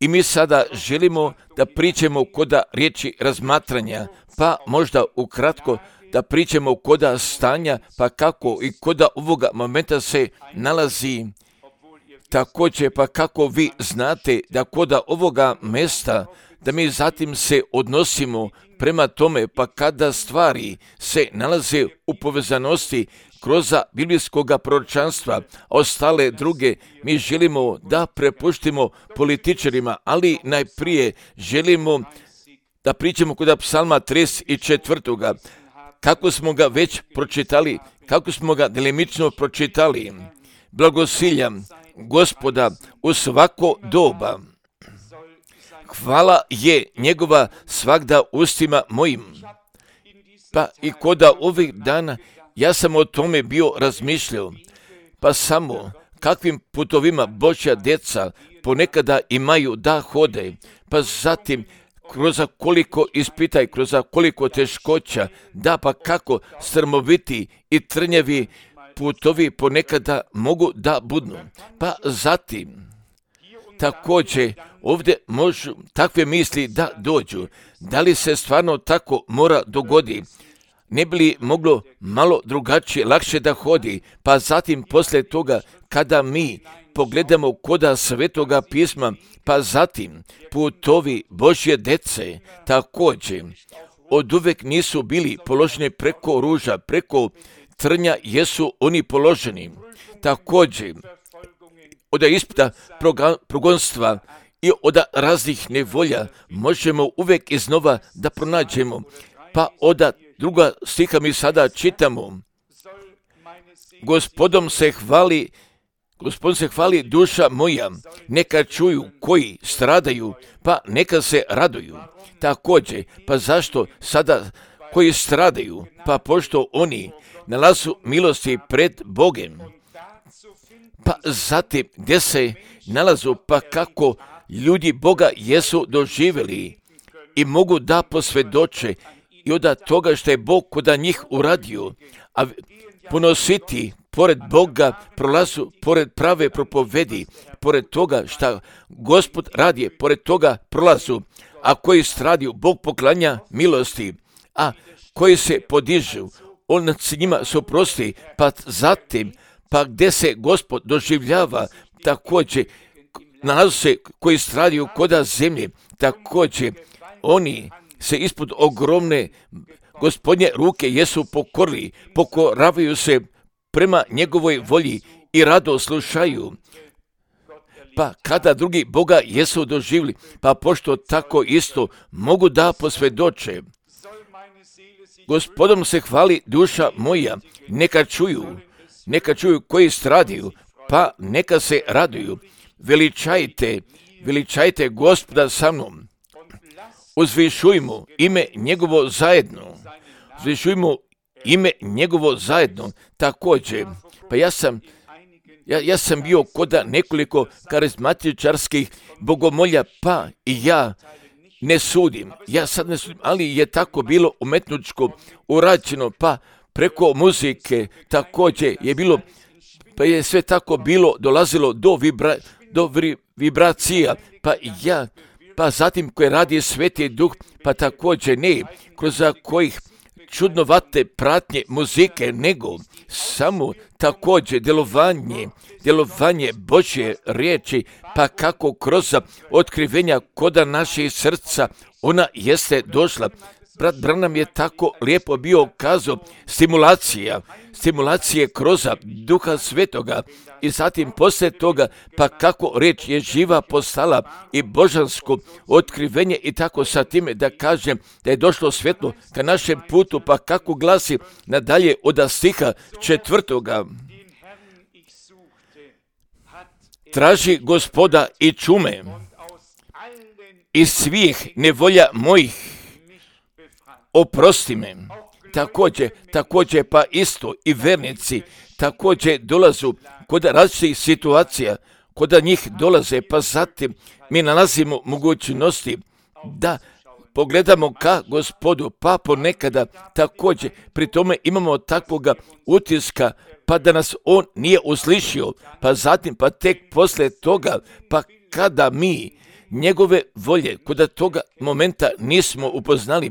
I mi sada želimo da pričamo koda riječi razmatranja, pa možda ukratko da pričamo koda stanja, pa kako i koda ovoga momenta se nalazi. Također, pa kako vi znate da koda ovoga mjesta, da mi zatim se odnosimo prema tome, pa kada stvari se nalaze u povezanosti kroz biblijskog proročanstva, ostale druge mi želimo da prepuštimo političarima, ali najprije želimo da pričamo kod psalma 34. Kako smo ga već pročitali, kako smo ga delimično pročitali. Blagosiljam Gospoda u svako doba. Hvala je njegova svagda ustima mojim. Pa i koda ovih dana ja sam o tome bio razmišljao, pa samo kakvim putovima Božja djeca ponekada imaju da hode, pa zatim kroz koliko ispitaj, kroz koliko teškoća, da pa kako strmoviti i trnjevi putovi ponekada mogu da budnu. Pa zatim također ovdje možu takve misli da dođu. Da li se stvarno tako mora dogodi? Ne bi li moglo malo drugačije, lakše da hodi? Pa zatim poslije toga kada mi pogledamo koda Svetoga pisma, pa zatim putovi Božje dece također oduvek nisu bili položeni preko ruža, preko trnja jesu oni položeni. Također od ispita progonstva i od raznih nevolja možemo uvijek iznova da pronađemo. Pa od druga stiha mi sada čitamo: Gospodom se hvali duša moja, neka čuju koji stradaju, pa neka se raduju. Također, pa zašto sada koji stradaju? Pa pošto oni nalazu milosti pred Bogem. Pa zatim gdje se nalazu, pa kako ljudi Boga jesu doživjeli i mogu da posvjedoče i od toga što je Bog koda njih uradio, a ponositi pored Boga prolazu, pored prave propovedi, pored toga što Gospod radi, pored toga prolazu, a koji stradiju, Bog poklanja milosti, a koji se podižu, on se njima suprosti, pa zatim, pa gdje se Gospod doživljava, također nalazu se koji stradiju koda zemlje, također oni se ispod ogromne Gospodnje ruke jesu pokorili, pokoravaju se prema njegovoj volji i rado slušaju. Pa kada drugi Boga jesu doživjeli, pa pošto tako isto mogu da posvjedoče. Gospodom se hvali duša moja, neka čuju koji stradaju, pa neka se raduju. Veličajte Gospoda sa mnom. Uzvišujmo ime njegovo zajedno. Također, pa ja sam bio koda nekoliko karizmatičarskih bogomolja, pa i ja ne sudim, ali je tako bilo umetničko urađeno, pa preko muzike također je bilo, pa je sve tako bilo, dolazilo do vibracija, pa zatim koje radi Sveti Duh, pa također ne kroz kojih čudnovate pratnje muzike, nego samo također djelovanje Božje riječi, pa kako kroz otkrivenja koda naših srca ona jeste došla. Brat Branham je tako lijepo bio kazao, stimulacije kroz Duha Svetoga i zatim poslije toga, pa kako riječ je živa postala i božansko otkrivenje i tako sa time da kažem da je došlo svjetlo ka našem putu, pa kako glasi nadalje od stiha 4. Traži Gospoda i čume, iz svih nevolja mojih oprosti me. Također pa isto i vernici također dolazu kod različitih situacija, kod njih dolaze, pa zatim mi nalazimo mogućnosti da pogledamo ka Gospodu, pa ponekada također pri tome imamo takvoga utiska, pa da nas on nije uslišio, pa zatim pa tek poslije toga, pa kada mi njegove volje kod toga momenta nismo upoznali,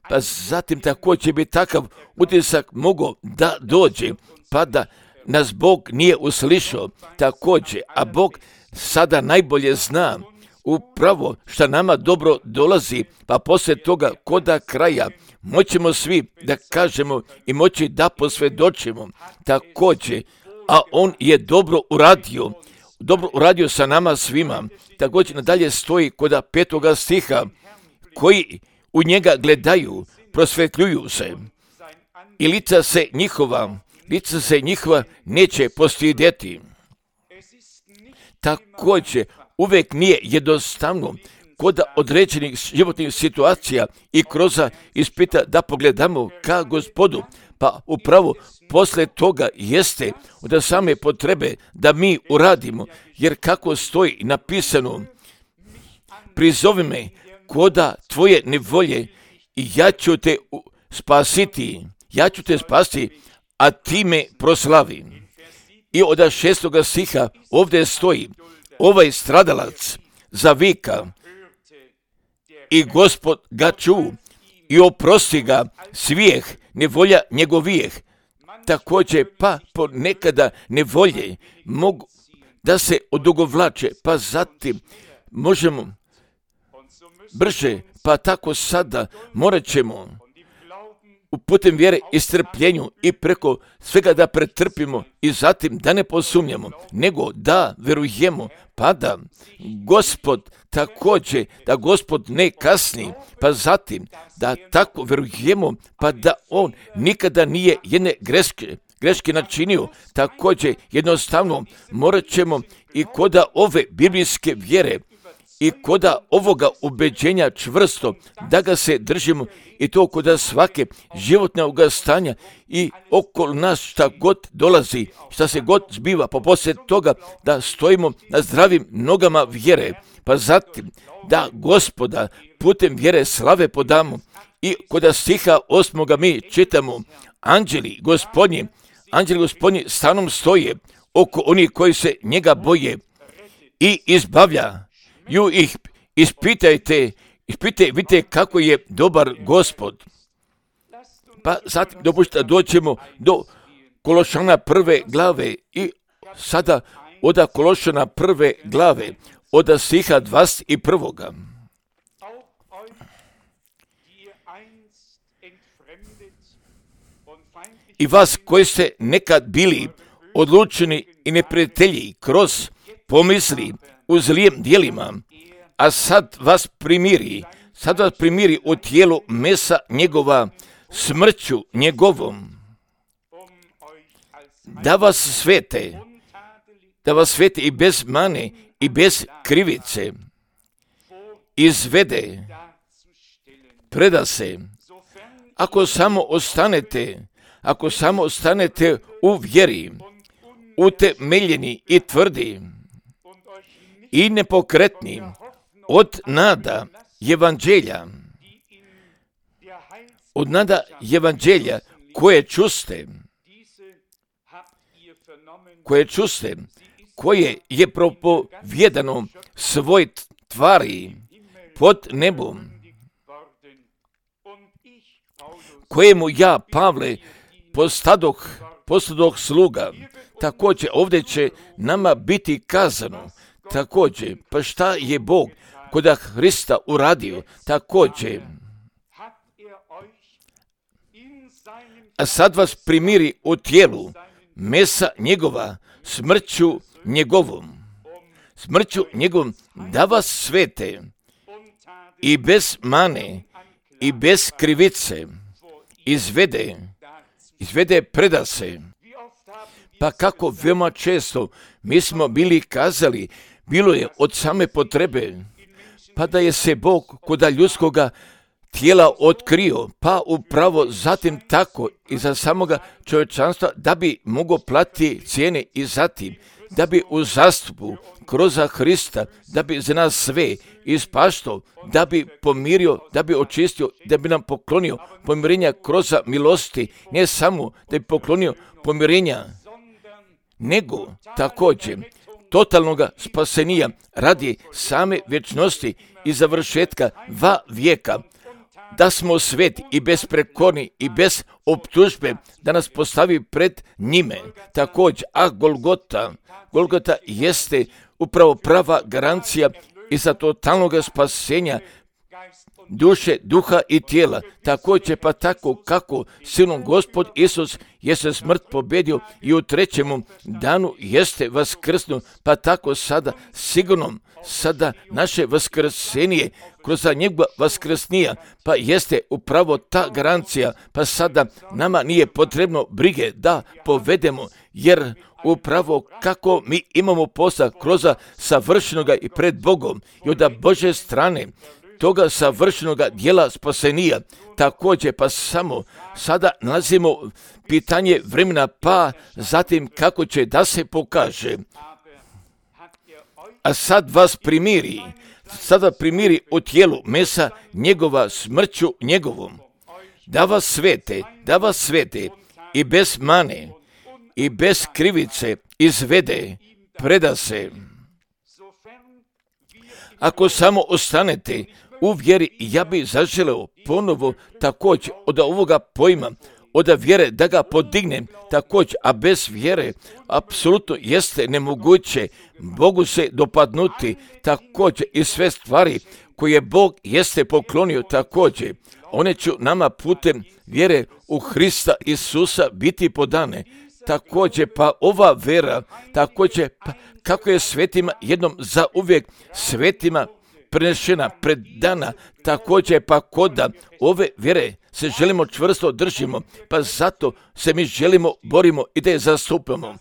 pa zatim također bi takav utisak mogao da dođe, pa da nas Bog nije uslišao također, a Bog sada najbolje zna upravo što nama dobro dolazi, pa poslije toga koda kraja moćemo svi da kažemo i moći da posvjedočimo također, a on je dobro uradio sa nama svima. Također nadalje stoji kod 5. stiha, koji u njega gledaju, prosvjetljuju se i lica se njihova neće postidjeti. Također uvijek nije jednostavno kod određenih životnih situacija i kroz ispita da pogledamo ka Gospodu, pa upravo poslije toga jeste od same potrebe da mi uradimo, jer kako stoji napisano, prizovi me koda tvoje nevolje i ja ću te spasiti, a ti me proslavi. I od 6. stiha ovdje stoji, ovaj stradalac zavika i Gospod ga ču i oprosti ga svijeh nevolja njegovijeh. Također pa ponekada nevolje mogu da se odugovlače, pa zatim možemo brže, pa tako sada morat ćemo putem vjere i strpljenju i preko svega da pretrpimo i zatim da ne posumnjamo, nego da verujemo, pa da Gospod također, da Gospod ne kasni, pa zatim da tako verujemo, pa da on nikada nije jedne greške načinio. Također jednostavno morat ćemo i koda ove biblijske vjere i koda ovoga ubeđenja čvrsto da ga se držimo, i to koda svake životnog stanja i okolo nas šta god dolazi, šta se god zbiva, pa poslije toga da stojimo na zdravim nogama vjere, pa zatim da Gospoda putem vjere slave podamo. I koda stiha 8. mi čitamo, anđeli gospodnji stanom stoje oko onih koji se njega boje i izbavljaju ih. Ispitajte, vidite kako je dobar Gospod. Pa zatim dopušta doćemo do Kološana 1. glave i sada od Kološana 1. glave od stiha 21. I vas koji ste nekad bili odlučeni i neprijatelji kroz pomisli u zlijem dijelima, a sad vas primiri u tijelu mesa njegova smrću njegovom, da vas svete i bez mane i bez krivice izvede, preda se, ako samo ostanete u vjeri, utemeljeni i tvrdi i nepokretni od nada evanđelja koje čuste, koje je propovjedano svoj tvari pod nebom, kojemu ja, Pavle, postadoh sluga. Također ovdje će nama biti kazano, također, pa šta je Bog koda Hrista uradio, također, a sad vas primiri u tijelu mesa njegova smrću njegovom, da vas svete i bez mane i bez krivice izvede, preda se. Pa kako veoma često mi smo bili kazali, bilo je od same potrebe, pa da je se Bog koda ljudskoga tijela otkrio, pa upravo zatim tako i za samoga čovječanstva da bi mogao platiti cijene i zatim da bi u zastupu kroz Hrista, da bi za nas sve ispaštao, da bi pomirio, da bi očistio, da bi nam poklonio pomirenja kroz milosti, ne samo da bi poklonio pomirenja, nego također totalnog spasenija radi same vječnosti i završetka vijeka, da smo sveti i besprekorni i bez optužbe, da nas postavi pred njime. Također, a Golgota jeste upravo prava garancija i za totalnog spasenja duše, duha i tijela. Također pa tako kako silom Gospod Isus jeste smrt pobjedio i u trećemu danu jeste vaskrsnuo, pa tako sada sigurno sada naše vaskrsenje kroz njegova vaskrsnija, pa jeste upravo ta garancija, pa sada nama nije potrebno brige da povedemo, jer upravo kako mi imamo posla kroz savršenoga i pred Bogom i od Bože strane toga savršenoga dijela spasenija. Također pa samo sada nalazimo pitanje vremena, pa zatim kako će da se pokaže. A sad vas primiri u tijelu mesa njegova smrću njegovom, da vas svete i bez mane i bez krivice izvede, preda se. Ako samo ostanete u vjeri, ja bi zaželeo ponovo također od ovoga pojma, od vjere da ga podignem također, a bez vjere apsolutno jeste nemoguće Bogu se dopadnuti također i sve stvari koje Bog jeste poklonio također. One će nama putem vjere u Hrista Isusa biti podane. Također pa ova vera, također pa kako je svetima jednom zauvijek svetima prenešena, predana, također pa koda ove vjere se želimo čvrsto držimo, pa zato se mi želimo, borimo i da je zastupamo,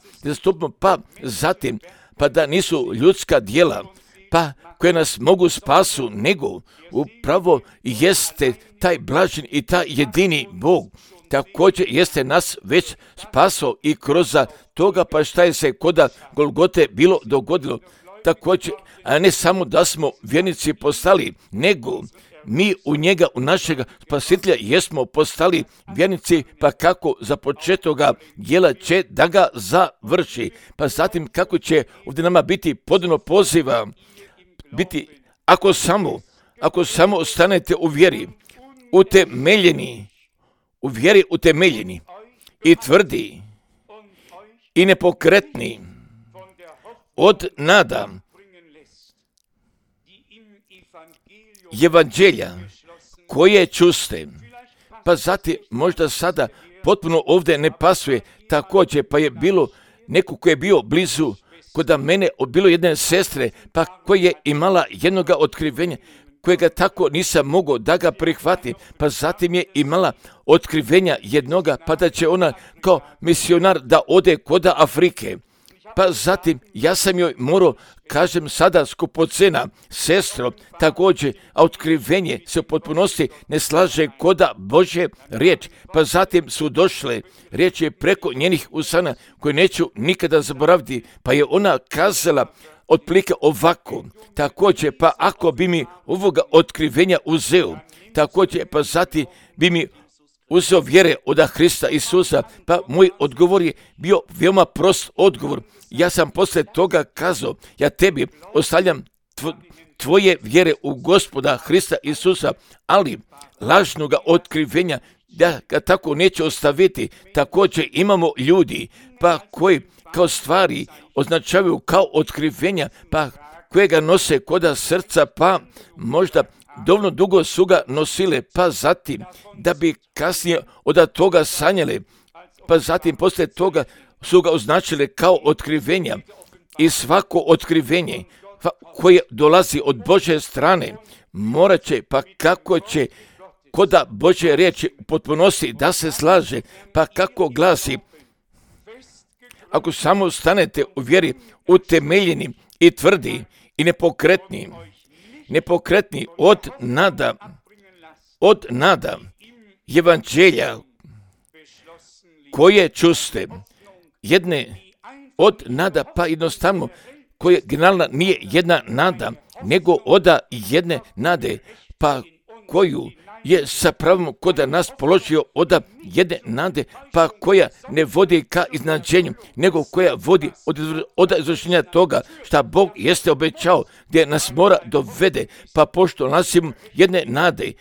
pa zatim, pa da nisu ljudska djela, pa koje nas mogu spasu, nego upravo jeste taj blažen i taj jedini Bog. Također jeste nas već spasao i kroz toga, pa šta je se koda Golgote bilo dogodilo. Također, a ne samo da smo vjernici postali, nego mi u njega, u našega spasitelja jesmo postali vjernici, pa kako za početoga djela će da ga završi. Pa zatim kako će ovdje nama biti podano poziva, biti, ako samo ostanete u vjeri, utemeljeni i tvrdi i nepokretni od nada evanđelja koje čuste. Pa zatim možda sada potpuno ovdje ne pasuje također, pa je bilo neko koji je bio blizu kod mene, bilo jedne sestre, pa koja je imala jednoga otkrivenja, kojega tako nisam mogao da ga prihvati, pa zatim je imala otkrivenja jednoga, pa da će ona kao misionar da ode kod Afrike. Pa zatim ja sam joj morao, kažem sada skupocena, sestro, također, a otkrivenje se u potpunosti ne slaže koda Božje riječ. Pa zatim su došle, riječ je preko njenih usana koje neću nikada zaboraviti, pa je ona kazala otprilike ovako, također, pa ako bi mi ovoga otkrivenja uzeo, također, pa zatim bi mi uzeo vjere od Hrista Isusa, pa moj odgovor je bio veoma prost odgovor. Ja sam poslije toga kazao, ja tebi ostavljam tvoje vjere u Gospoda Hrista Isusa, ali lažnoga otkrivenja da ga tako neće ostaviti. Također imamo ljudi pa koji kao stvari označavaju kao otkrivenja, pa koje ga nose koda srca, pa možda dovoljno dugo su ga nosile, pa zatim da bi kasnije od toga sanjale, pa zatim poslije toga su ga označile kao otkrivenja. I svako otkrivenje koje dolazi od Božje strane morat će, pa kako će koda Božje riječi u potpunosti da se slaže, pa kako glasi, ako samo stanete u vjeri utemeljeni i tvrdi i nepokretni od nada evanđelja koje čuste, jedne od nada, pa jednostavno koje generalna nije jedna nada, nego od jedne nade, pa koju je sa pravom kod nas položio od jedne nade, pa koja ne vodi ka iznađenju, nego koja vodi od izvršenja toga šta Bog jeste obećao, gdje nas mora dovede, pa pošto nosimo jedne nade,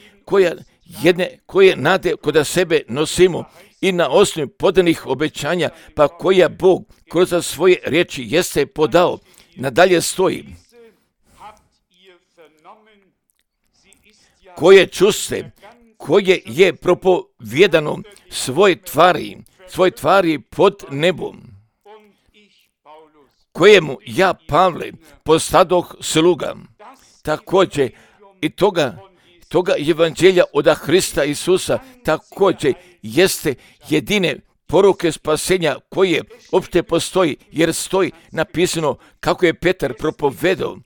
koje nade kod sebe nosimo i na osnovi podanih obećanja, pa koja Bog kroz svoje riječi jeste podao, nadalje stoji. Koje čuste, koje je propovijedano svoje tvari pod nebom, kojemu ja, Pavle, postadoh sluga. Također i toga evanđelja od Hrista Isusa također jeste jedine poruke spasenja koje opšte postoji, jer stoji napisano kako je Petar propovedao.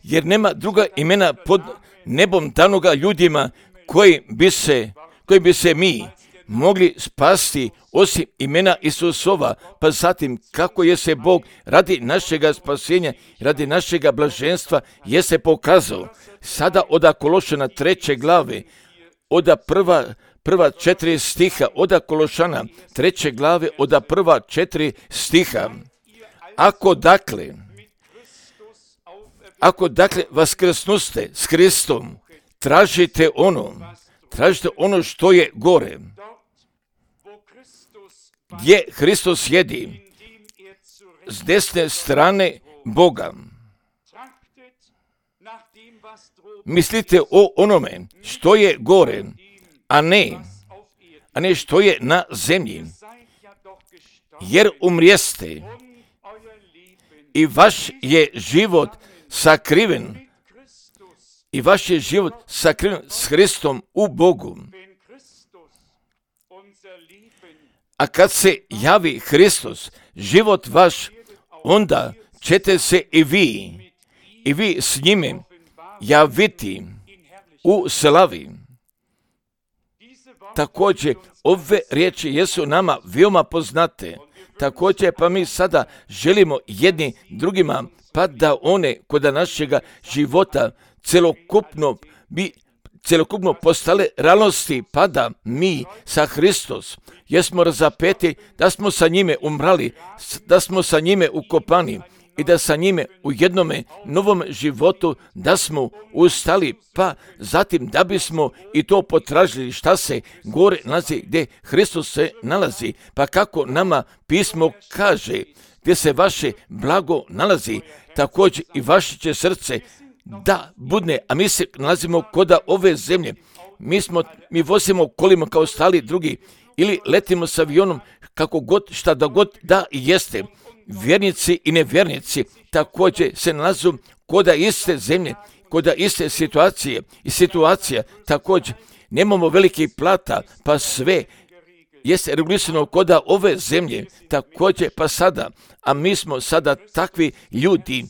Jer nema druga imena pod nebom danoga ljudima koji bi se mi mogli spasti osim imena Isusova, pa zatim kako je se Bog radi našega spasenja, radi našega blaženstva je se pokazao. Sada od Kološana 3. glave, od prva 4 stiha, od Kološana 3. glave, od prva 4 stiha. Ako dakle vaskrsnuste s Hristom, tražite ono što je gore, gdje Hristos sjedi s desne strane Boga. Mislite o onome što je gore, a ne što je na zemlji, jer umrijeste i vaš je život sakriven s Hristom u Bogu. A kad se javi Hristos, život vaš, onda ćete se i vi s njime javiti u slavi. Također, ove riječi jesu nama veoma poznate. Također, pa mi sada želimo jedni drugima, pa da one kod našega života celokupno postale realnosti, pa da mi sa Hristos jesmo razapeti, da smo sa njime umrali, da smo sa njime ukopani i da sa njime u jednome novom životu da smo ustali, pa zatim da bismo i to potražili šta se gore nalazi, gdje Hristos se nalazi, pa kako nama pismo kaže, gdje se vaše blago nalazi, također i vaše će srce da budne, a mi se nalazimo kod ove zemlje. Mi vozimo kolima kao ostali drugi ili letimo s avionom, kako god, šta da god da jeste. Vjernici i nevjernici također se nalazu kod iste zemlje, kod iste situacija također. Nemamo velikih plata, pa sve jeste regulisano kod ove zemlje, također pa sada, a mi smo sada takvi ljudi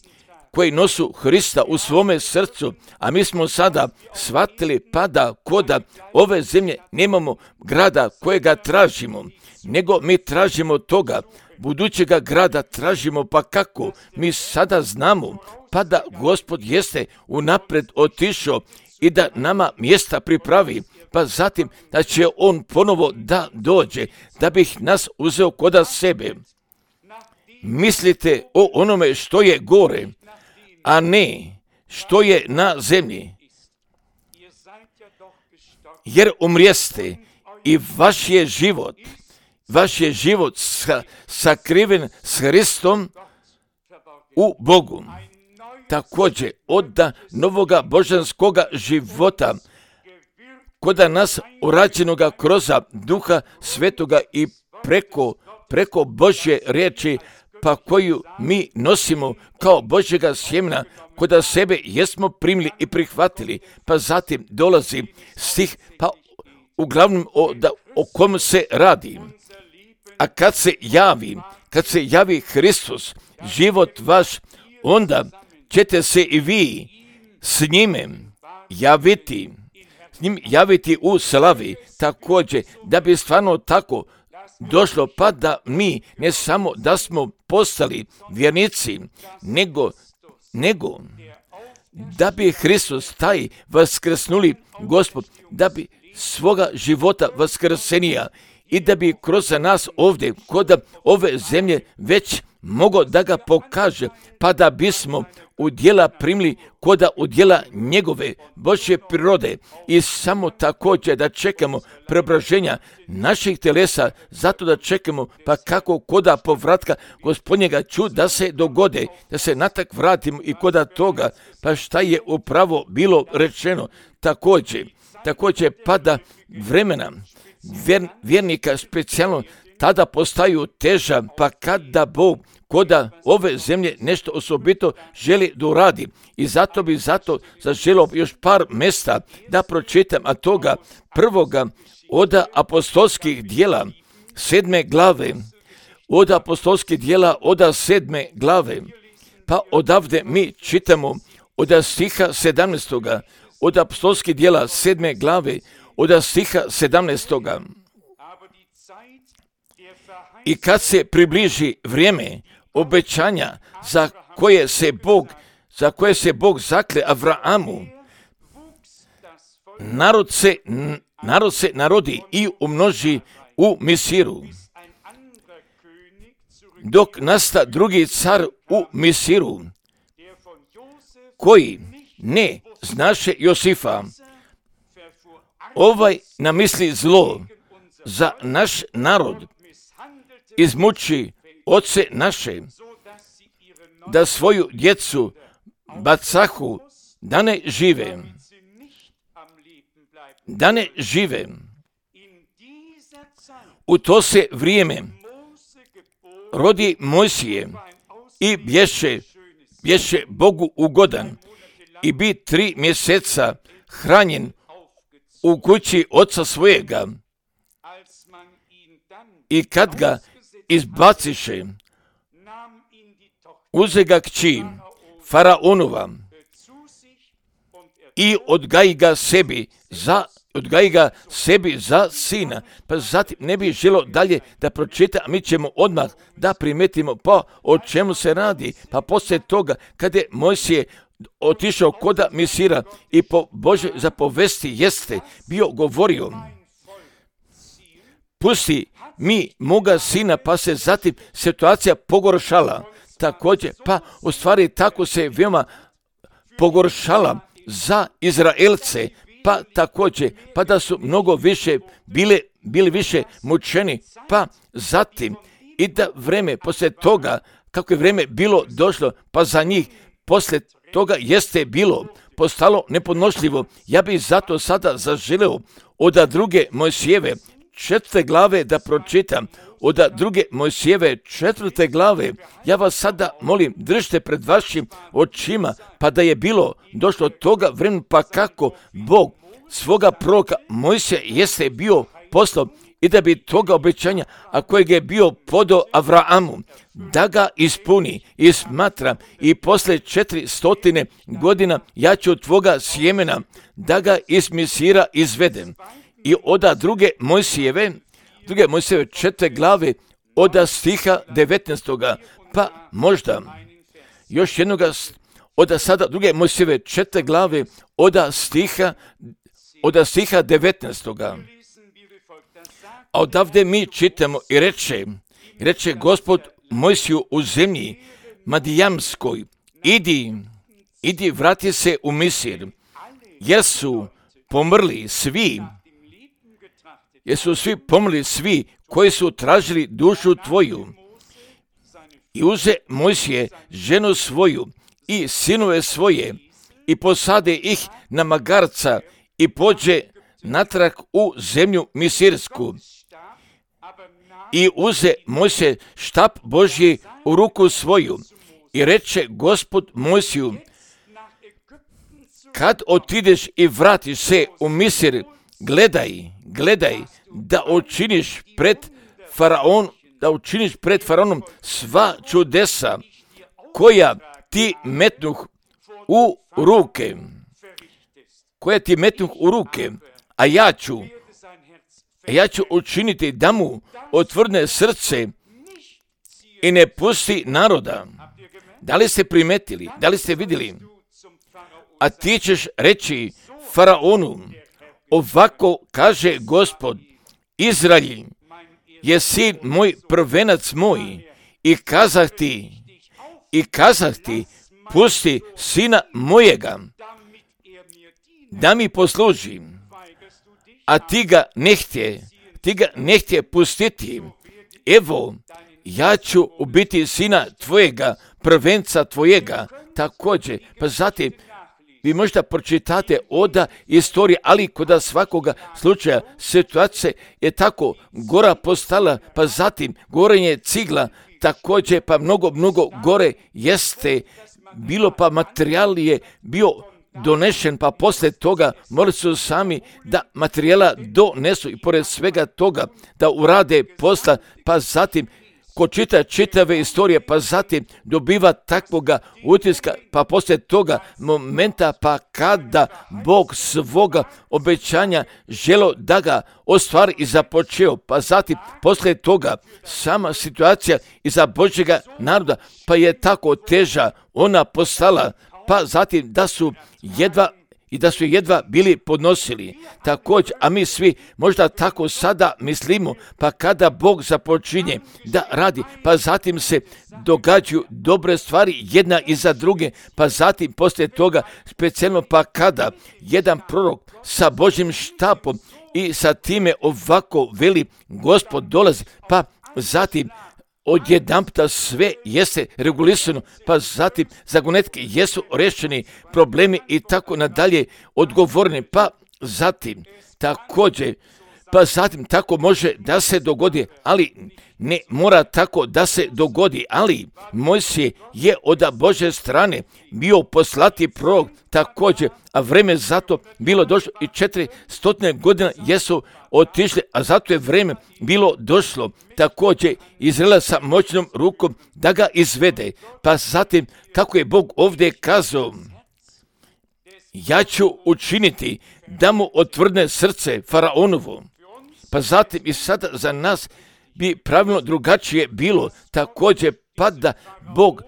koji nosu Hrista u svome srcu, a mi smo sada shvatili pa da kod ove zemlje nemamo grada kojega tražimo, nego mi tražimo toga, budućega grada tražimo, pa kako? Mi sada znamo pa da Gospod jeste unapred otišao i da nama mjesta pripravi, pa zatim da će On ponovo da dođe, da bih nas uzeo kod sebe. Mislite o onome što je gore, a ne što je na zemlji. Jer umrijeste i vaš je život sakriven s Hristom u Bogu. Također od novoga božanskoga života kod nas urađenoga kroz Duha Svetoga i preko Božje riječi, pa koju mi nosimo kao Božjega sjemena, kod sebe jesmo primili i prihvatili, pa zatim dolazi stih, pa uglavnom o kom se radi. A kad se javi Hristos, život vaš, onda ćete se i vi s njime javiti u slavi, također da bi stvarno tako došlo, pa da mi ne samo da smo postali vjernici, nego da bi Hristos, taj vaskrsnuli Gospod, da bi svoga života vaskrsenija i da bi kroz nas ovdje, kod ove zemlje, već mogao da ga pokaže, pa da bismo u djela primili koda u djela njegove Božje prirode i samo također da čekamo preobraženja naših telesa, zato da čekamo pa kako koda povratka Gospodnjega da se dogode, da se natak vratimo i koda toga, pa šta je upravo bilo rečeno također pada vremena vjernika specijalno tada postaju teža, pa kada Bog koda ove zemlje nešto osobito želi da uradi. I zato zaželio još par mjesta da pročitam, a toga prvoga od apostolskih dijela 7. glave, od apostolskih dijela od 7. glave, pa odavde mi čitamo od stiha 17. od apostolskih dijela 7. glave, od stiha 17. I kad se približi vrijeme obećanja za koje se Bog zakle Avrahamu, narod se narodi i umnoži u Misiru, dok nasta drugi car u Misiru, koji ne znaše Josifa, ovaj namisli zlo za naš narod, izmuči oce naše, da svoju djecu bacahu, da ne žive. U to se vrijeme rodi Mojsije i bješe Bogu ugodan i bi 3 mjeseca hranjen u kući oca svojega. I kad ga izbaciše, uze ga kći Faraonova i odgaji ga sebi za sina. Pa zatim ne bi želo dalje da pročita, a mi ćemo odmah da primetimo pa o čemu se radi. Pa poslije toga kada je Mojsije otišao koda Misira i po Božoj zapovesti jeste bio govorio, pusti mi moga sina, pa se zatim situacija pogoršala. Također, pa u stvari tako se veoma pogoršala za Izraelce, pa također, pa da su mnogo više bili više mučeni, pa zatim i da vreme poslije toga, kako je vreme bilo došlo, pa za njih poslije toga jeste postalo nepodnošljivo. Ja bih zato sada zaželeo od 2. Mojsijeve 4. glave da pročitam, od 2. Mojsijeve 4. glave. Ja vas sada molim, držite pred vašim očima, pa da je došlo toga vremena, pa kako Bog svoga proroka Mojsija jeste bio poslao i da bi toga obećanja, a kojeg je bio podao Avrahamu, da ga ispuni i smatra i posle 400 godina ja ću tvoga sjemena da ga iz Misira izvedem. I od 2. Mojsijeve 4. glave od stiha 19. Pa možda još jednoga od sada 2. Mojsijeve 4. glave od stiha 19. A odavde mi čitamo i reče Gospod Mojsiju u zemlji Madijamskoj, idi vrati se u Misir, jer su svi pomrli svi koji su tražili dušu tvoju. I uze Mojsije ženu svoju i sinove svoje i posade ih na magarca i pođe natrag u zemlju Misirsku. I uze Mojsije štap Božji u ruku svoju i reče Gospod Mojsiju, kad otideš i vratiš se u Misir, gledaj da učiniš pred Faraonom sva čudesa koja ti metnuh u ruke, a ja ću učiniti da mu otvrdne srce i ne pusti naroda. Da li ste primetili, da li ste vidjeli a ti ćeš reći faraonu, ovako kaže Gospod, Izrael je sin moj, prvenac moj, i kazah ti, pusti sina mojega, da mi posluži, a ti ga ne htje pustiti. Evo, ja ću ubiti sina tvojega, prvenca tvojega, također. Pa zatim, vi možda pročitate oda istorije, ali kod svakoga slučaja situacija je tako gora postala, pa zatim gorenje cigla, također pa mnogo gore jeste bilo, pa materijal je bio donešen, pa poslije toga morali su sami da materijala donesu i pored svega toga da urade posla, pa zatim ko čita čitave istorije, pa zatim dobiva takvoga utiska, pa poslije toga momenta, pa kada Bog svoga obećanja želo da ga ostvari i započeo, pa zatim poslije toga sama situacija iza Božjega naroda, pa je tako teža ona postala, pa zatim da su jedva bili podnosili. Također, a mi svi možda tako sada mislimo, pa kada Bog započinje da radi, pa zatim se događaju dobre stvari jedna iza druge, pa zatim poslije toga specijalno pa kada jedan prorok sa Božjim štapom i sa time ovako veli Gospod dolazi, pa zatim odjedanputa sve jeste regulisano, pa zatim zagonetke jesu rešeni, problemi i tako nadalje odgovorni, pa zatim također, pa zatim tako može da se dogodi, ali ne mora tako da se dogodi, ali Mojsije je od Božje strane bio poslati prorok također, a vreme zato bilo došlo i 400 godina jesu otišli, a zato je vreme bilo došlo također Izraela sa moćnom rukom da ga izvede. Pa zatim, kako je Bog ovdje kazao, ja ću učiniti da mu otvrdne srce faraonovo. Pa zatim i sada za nas bi pravilno drugačije bilo također, pa da Bog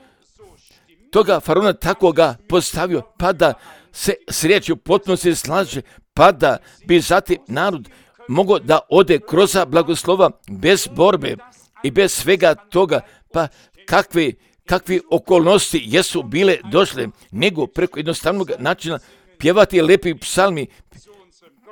toga faraona tako ga postavio, pa da se s riječju potpuno se slaže, pa da bi zatim narod mogao da ode kroz blagoslova bez borbe i bez svega toga, pa kakvi okolnosti jesu bile došle, nego preko jednostavnog načina pjevati lepi psalmi,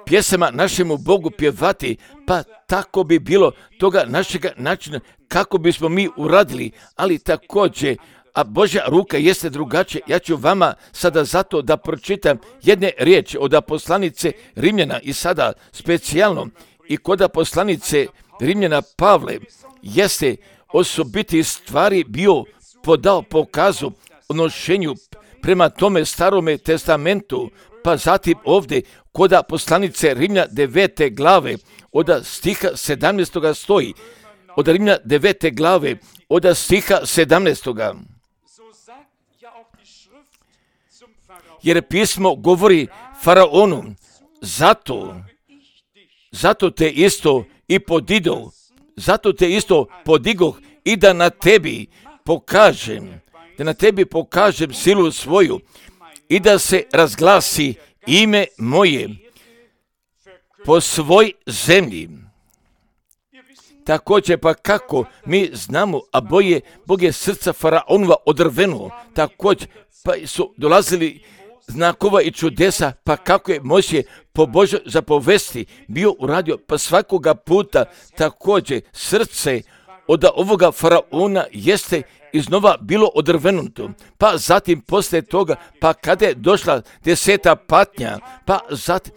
pjesama našemu Bogu pjevati, pa tako bi bilo toga našega načina kako bismo mi uradili, ali također, a Božja ruka jeste drugačija. Ja ću vama sada zato da pročitam jedne riječi od poslanice Rimljana i sada specijalno i kod poslanice Rimljana Pavle jeste osobiti stvari bio podao pokazu odnošenju prema tome starome testamentu, pa zatim ovdje kod poslanice Rimljana 9. glave od stiha 17. stoji, od Rimljana 9. glave od stiha 17. Jer pismo govori faraonu, zato te isto i podigoh i da na tebi pokažem silu svoju i da se razglasi ime moje po svoj zemlji. Također pa kako mi znamo, a Bog je srca faraonova odrveno, također pa su dolazili znakova i čudesa, pa kako je Mojsije po Božoj zapovesti bio uradio, pa svakoga puta također srce od ovoga faraona jeste iznova bilo odrvenuto, pa zatim poslije toga, pa kada je došla 10. patnja, pa zatim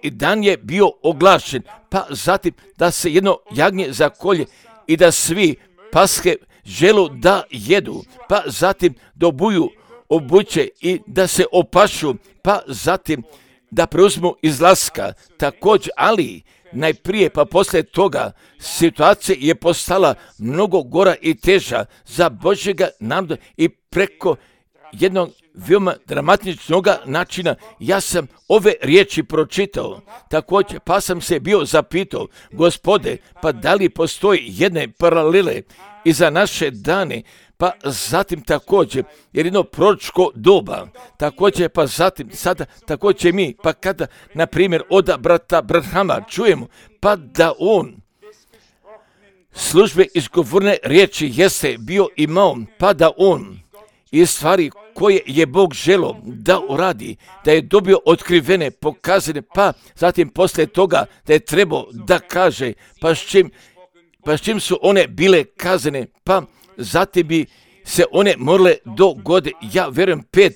i dan je bio oglašen, pa zatim da se jedno jagnje zakolje i da svi paske želu da jedu, pa zatim dobuju obuće i da se opašu, pa zatim da preuzmu izlaska također, ali najprije pa poslije toga situacija je postala mnogo gora i teža za Božjega naroda i preko jednog veoma dramatičnog načina ja sam ove riječi pročitao. Također pa sam se bio zapitao, Gospode, pa da li postoji jedne paralele i za naše dane, pa zatim također, jer jedno proročko doba, također, pa zatim, sada također mi, pa kada, na primjer, od brata Branhama čujemo, pa da on službe izgovorne riječi jeste bio imao, pa da on i stvari koje je Bog želio da uradi, da je dobio otkrivene, pokazane, pa zatim poslije toga da je trebao da kaže, pa s čim su one bile kazane, pa zatim bi se one morale dogoditi. Ja vjerujem 5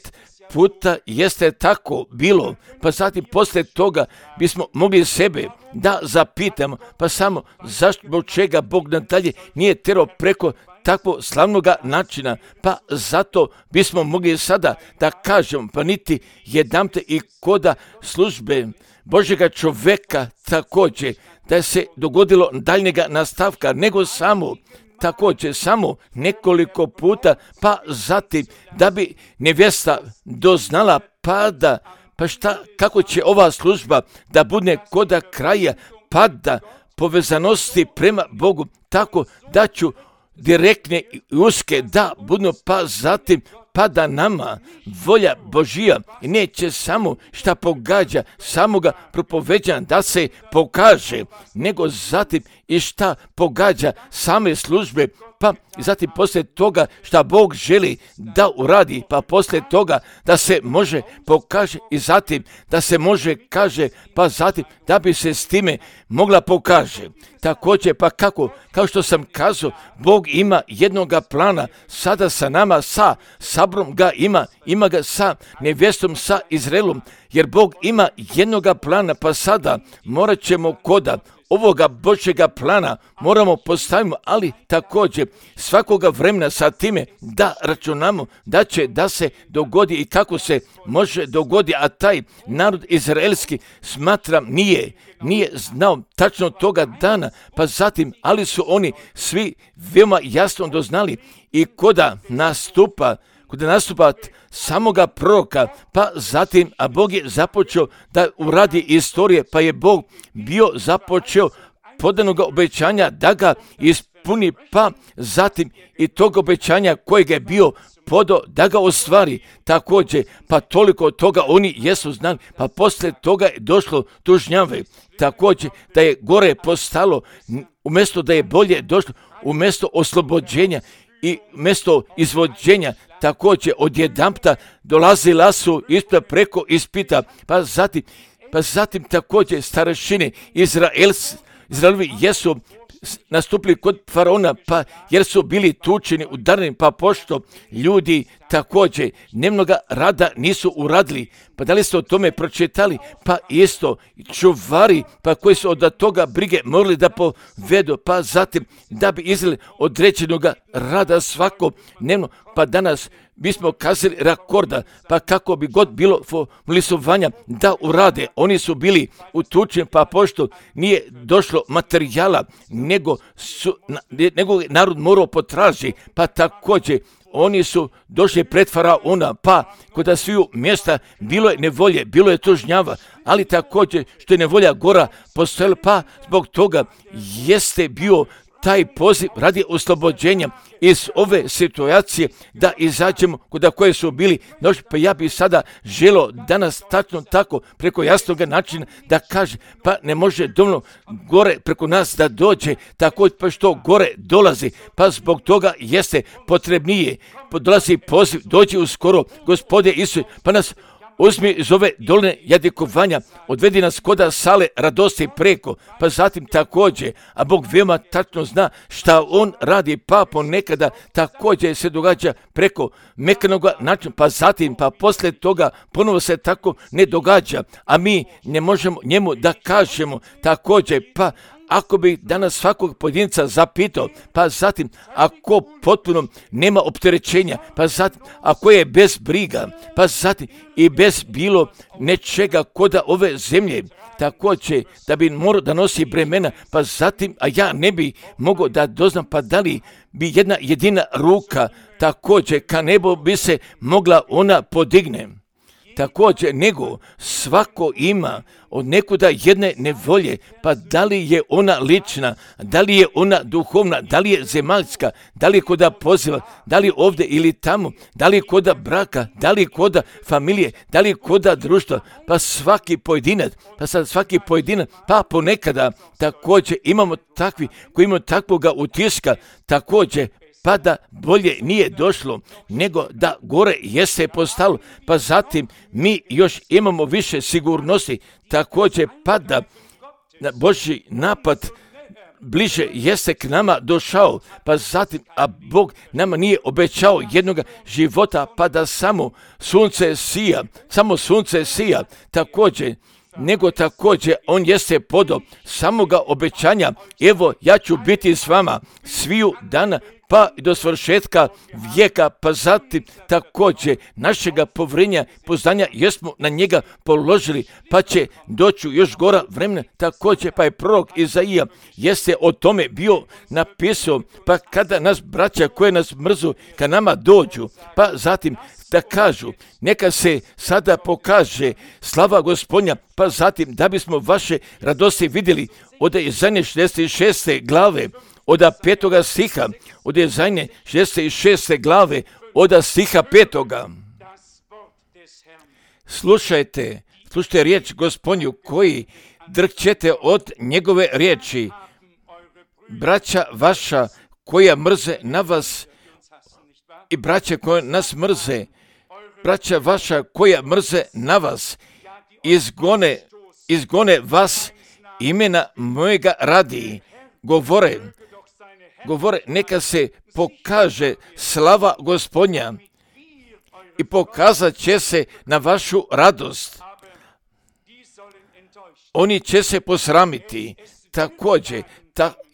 puta jeste tako bilo, pa zatim poslije toga bismo mogli sebe da zapitamo, pa samo zašto, zbog čega Bog nadalje nije terao preko takvog slavnog načina, pa zato bismo mogli sada da kažemo, pa niti jedanput i koda službe Božjega čovjeka također da se dogodilo daljnjega nastavka, nego samo također samo nekoliko puta, pa zatim da bi nevjesta doznala pa šta, kako će ova služba da bude koda kraja pada povezanosti prema Bogu, tako da ću direktne i uske da budu, pa zatim pa da nama volja Božija neće samo šta pogađa samoga propoveđanja da se pokaže, nego zatim i šta pogađa same službe, pa zatim poslije toga šta Bog želi da uradi, pa poslije toga da se može pokaže i zatim da se može kaže, pa zatim da bi se s time mogla pokaže. Također, pa kako, kao što sam kazao, Bog ima jednoga plana sada sa nama, sa Sabrom ga ima ga sa nevjestom, sa Izraelom, jer Bog ima jednoga plana, pa sada morat ćemo koda ovoga Božjega plana moramo postaviti, ali također svakoga vremena sa time da računamo da će da se dogodi i kako se može dogodi, a taj narod izraelski smatram nije znao tačno toga dana, pa zatim, ali su oni svi veoma jasno doznali i koda nastupa samoga proroka, pa zatim, a Bog je započeo da uradi istorije, pa je Bog bio započeo podanog obećanja da ga ispuni, pa zatim i tog obećanja kojeg je bio podao da ga ostvari također, pa toliko toga oni jesu znali, pa poslije toga je došlo tužnjave, također da je gore postalo, umjesto da je bolje došlo, umjesto oslobođenja i mjesto izvođenja, također odjedanputa dolazila su preko ispita, pa zatim također starešine Izraelovi jesu nastupili kod faraona, pa jer su bili tučeni, udareni, pa pošto ljudi također nemnoga rada nisu uradili, pa da li ste o tome pročitali, pa isto čuvari, pa koji su od toga brige morali da povedu, pa zatim da bi izveli određenog rada svakodnevno, pa danas bismo kazali rekorda, pa kako bi god bilo lisovanja da urade, oni su bili utučeni, pa pošto nije došlo materijala, nego narod morao potraži, pa također oni su došli pred faraona, pa kod sviju mjesta bilo je nevolje, bilo je tužnjava, ali također što je nevolja gora postojala, pa zbog toga jeste bio taj poziv radi oslobođenja iz ove situacije da izađemo kod koje su bili noći, pa ja bih sada želio danas tačno tako preko jasnog načina da kaže, pa ne može dovoljno gore preko nas da dođe, tako pa što gore dolazi, pa zbog toga jeste potrebnije, dolazi poziv, dođi uskoro, Gospode Isus, pa nas uzmi iz ove doline jadikovanja, odvedi nas koda sale radosti preko, pa zatim također, a Bog veoma tačno zna šta on radi, pa ponekada također se događa preko mekanog načina, pa zatim, pa poslije toga ponovo se tako ne događa, a mi ne možemo njemu da kažemo također, pa ako bi danas svakog pojedinca zapitao, pa zatim ako potpuno nema opterećenja, pa zatim ako je bez briga, pa zatim i bez bilo nečega koda ove zemlje, također da bi morao da nosi bremena, pa zatim, a ja ne bi mogao da doznam, pa da li bi jedna jedina ruka također ka nebu bi se mogla ona podigne. također nego svako ima od nekuda jedne nevolje, pa da li je ona lična, da li je ona duhovna, da li je zemaljska, da li je koda poziva, da li je ovdje ili tamo, da li je koda braka, da li je koda familije, da li je koda društva, pa svaki pojedinac, pa ponekada također imamo takvi koji imaju takvoga utiska, također pa da bolje nije došlo, nego da gore jeste postalo, pa zatim mi još imamo više sigurnosti, također pa da Božji napad bliže jeste k nama došao, pa zatim, a Bog nama nije obećao jednoga života, pa da samo sunce sija, također, nego također on jeste podao samoga obećanja, evo ja ću biti s vama sviju dana, pa do svršetka vijeka, pa zatim također našega povjerenja, poznanja jesmo na njega položili, pa će doći još gora vremena, također pa je prorok Izaija jeste o tome bio napisao, pa kada nas braća koje nas mrzu, kad nama dođu, pa zatim da kažu, neka se sada pokaže slava Gospodnja, pa zatim da bismo vaše radosti vidjeli od Izaije 66. glave, od 5. stiha, od Izaije 66. glave, od stiha 5. Slušajte riječ Gospodnju koji drhćete od njegove riječi. Braća vaša koja mrze na vas i braća koja nas mrze, braća vaša koja mrze na vas, izgone vas imena mojega radi. Govore, neka se pokaže slava Gospodnja i pokazat će se na vašu radost. Oni će se posramiti također,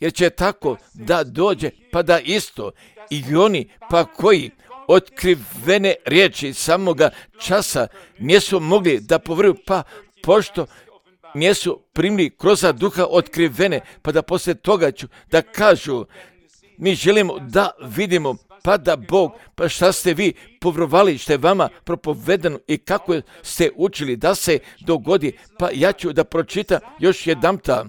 jer će tako da dođe, pa da isto i oni pa koji otkrivene riječi samoga časa nisu mogli da povjeruju, pa pošto nisu primili kroz duha otkrivene, pa da poslije toga ću da kažu, mi želimo da vidimo, pa da Bog, pa šta ste vi povjerovali, što je vama propovedano i kako ste učili da se dogodi, pa ja ću da pročitam još jedanputa.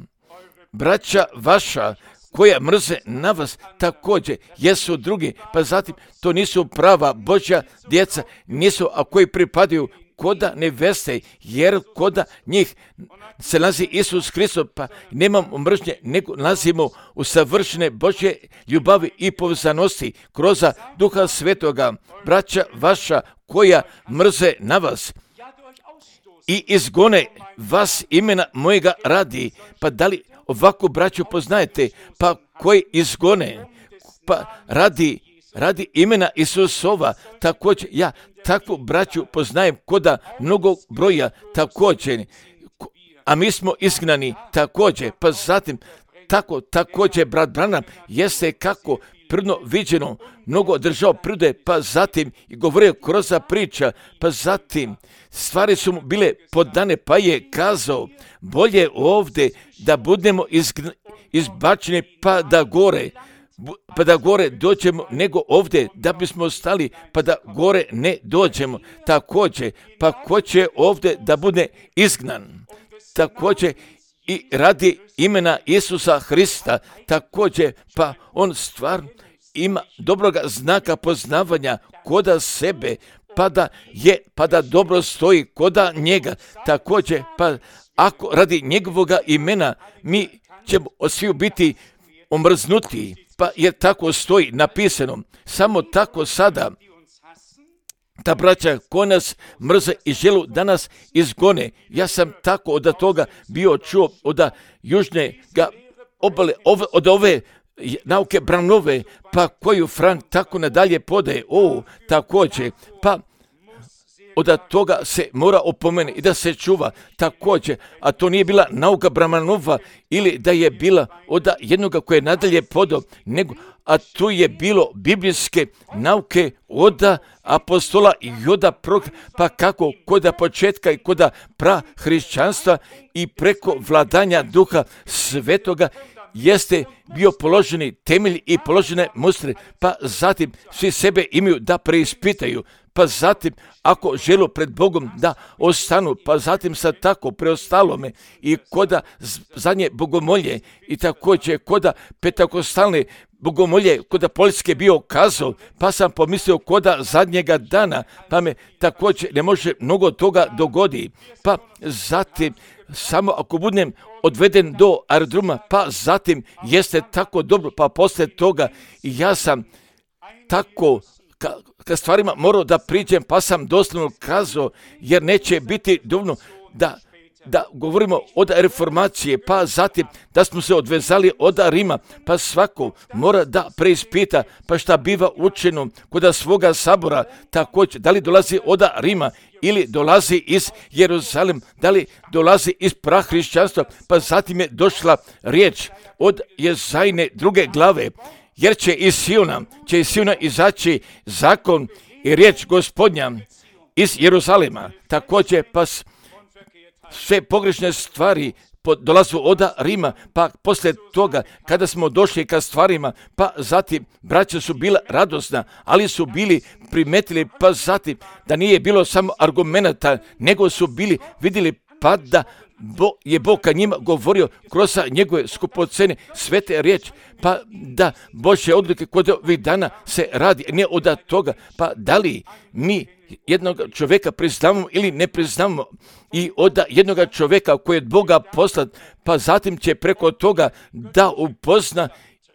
Braća vaša koja mrze na vas također jesu drugi, pa zatim to nisu prava Božja djeca, nisu, a koji pripadaju koda neveste, jer koda njih se nalazi Isus Hristos, pa nemamo mržnje, nego nalazimo u savršene Božje ljubavi i povezanosti kroz Duha Svetoga. Braća vaša koja mrze na vas i izgone vas imena mojega radi, pa da li ovako braću poznajete, pa koji izgone, pa radi imena Isusova, također ja takvu braću poznajem koda mnogo broja također, a mi smo izgnani također, pa zatim također brat Branham jeste kako prvno viđeno, mnogo držao prirode, pa zatim i govorio kroz priča, pa zatim stvari su mu bile podane, pa je kazao, bolje ovdje da budemo izbačeni pa da gore dođemo, nego ovdje da bismo stali pa da gore ne dođemo. Također, pa ko će ovdje da bude izgnan? Također i radi imena Isusa Hrista, također pa on stvarno ima dobroga znaka poznavanja koda sebe, pa da dobro stoji koda njega. Također, pa ako radi njegovoga imena mi ćemo svi biti omrznuti, pa jer tako stoji napisano. Samo tako sada ta braća ko nas mrze i želu da nas izgone. Ja sam tako od toga bio čuo od južnega obale, od ove nauke Branove, pa koju Frank tako nadalje podaje. Također, pa od toga se mora opomene i da se čuva također, a to nije bila nauka Branova ili da je bila od jednoga koje je nadalje podao, nego, a tu je bilo biblijske nauke od apostola i od proroka, pa kako koda početka i koda prahrišćanstva i preko vladanja Duha Svetoga jeste bio položeni temelj i položene mustre, pa zatim svi sebe imaju da preispitaju, pa zatim ako žele pred Bogom da ostanu, pa zatim sa tako preostalome i koda zadnje bogomolje i također koda petakostalne bogomolje, koda Poljske bio kazao, pa sam pomislio koda zadnjega dana, pa me također ne može mnogo toga dogodi, pa zatim samo ako budem odveden do aerodroma, pa zatim jeste tako dobro, pa poslije toga i ja sam tako ka stvarima morao da priđem, pa sam doslovno kazao, jer neće biti dovoljno da govorimo od reformacije, pa zatim da smo se odvezali od Rima, pa svako mora da preispita, pa šta biva učeno kod svoga sabora, također, da li dolazi od Rima ili dolazi iz Jeruzalem, da li dolazi iz prahrišćanstva, pa zatim je došla riječ od Jezajne 2. glave, jer će iz Siona izaći zakon i riječ Gospodnja iz Jeruzalema, također pa sve pogrešne stvari dolazu od Rima, pa poslije toga kada smo došli ka stvarima, pa zatim braća su bila radosna, ali su bili primetili, pa zatim da nije bilo samo argumenata, nego su bili vidjeli pa da je Bog ka njima govorio kroz njegove skupocene svete riječi, pa da Božje odluke kod ovih dana se radi, ne od toga, pa da li mi jednog čovjeka priznamo ili ne priznamo i od jednog čovjeka koji je od Boga poslat, pa zatim će preko toga da upozna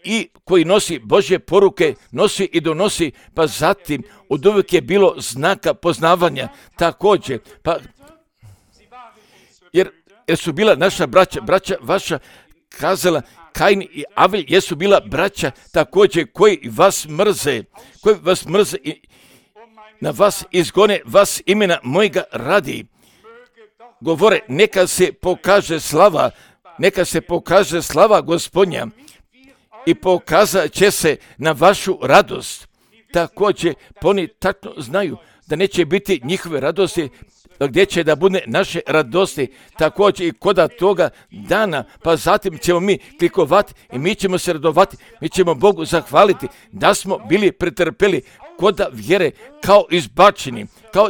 i koji nosi Božje poruke, nosi i donosi, pa zatim od uvijek je bilo znaka poznavanja također, pa jer su bila naša braća vaša kazala, Kain i Avel jesu bila braća također koji vas mrze i na vas izgone vas imena mojega radi. Govore, neka se pokaže slava Gospodnja i pokazat će se na vašu radost. Također, oni tačno znaju da neće biti njihove radosti, gdje će da bude naše radosti, također i koda toga dana, pa zatim ćemo mi klikovati i mi ćemo se radovati, mi ćemo Bogu zahvaliti da smo bili pretrpeli koda vjere kao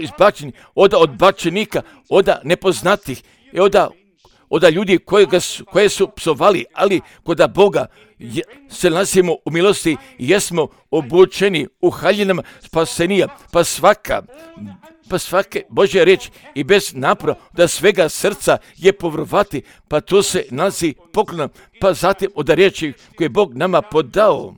izbačeni od odbačenika, od nepoznatih i od ljudi koje su psovali, ali koda Boga se nalazimo u milosti i jesmo obučeni u haljinama spasenija, pa svake Božja riječ i bez napora da svega srca je povrovati, pa to se nalazi poklona, pa zatim od riječi koje je Bog nama podao.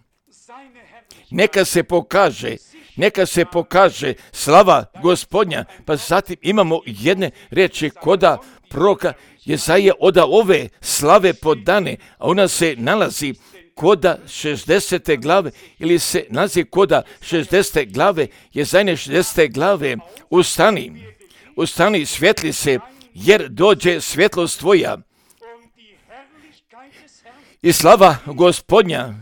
Neka se pokaže slava Gospodnja, pa zatim imamo jedne riječi koda proroka Jezaje od ove slave podane, a ona se nalazi koda 60. glave ili se nalazi koda 60. glave, Jezajne 60. glave. Ustani, svijetli se, jer dođe svjetlost tvoja i slava Gospodnja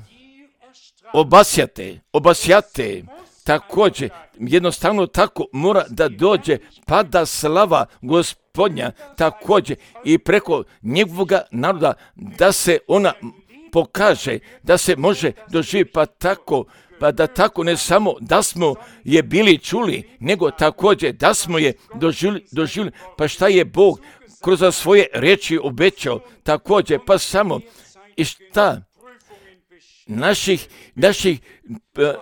obasjate. Također, jednostavno tako mora da dođe, pada slava Gospodnja također i preko njegovoga naroda da se ona pokaže, da se može doživjeti, pa da tako ne samo da smo je bili čuli, nego također da smo je doživjeli, pa šta je Bog kroz svoje riječi obećao, također, pa samo i šta naših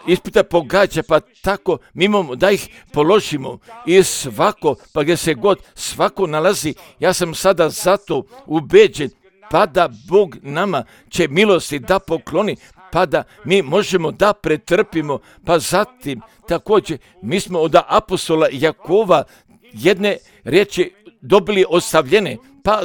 ispita pogađa, pa tako mi imamo da ih položimo i svako, pa gdje se god svako nalazi, ja sam sada zato ubeđen, pa da Bog nama će milosti da pokloni, pa da mi možemo da pretrpimo, pa zatim također mi smo od apostola Jakova jedne riječi dobili ostavljene, pa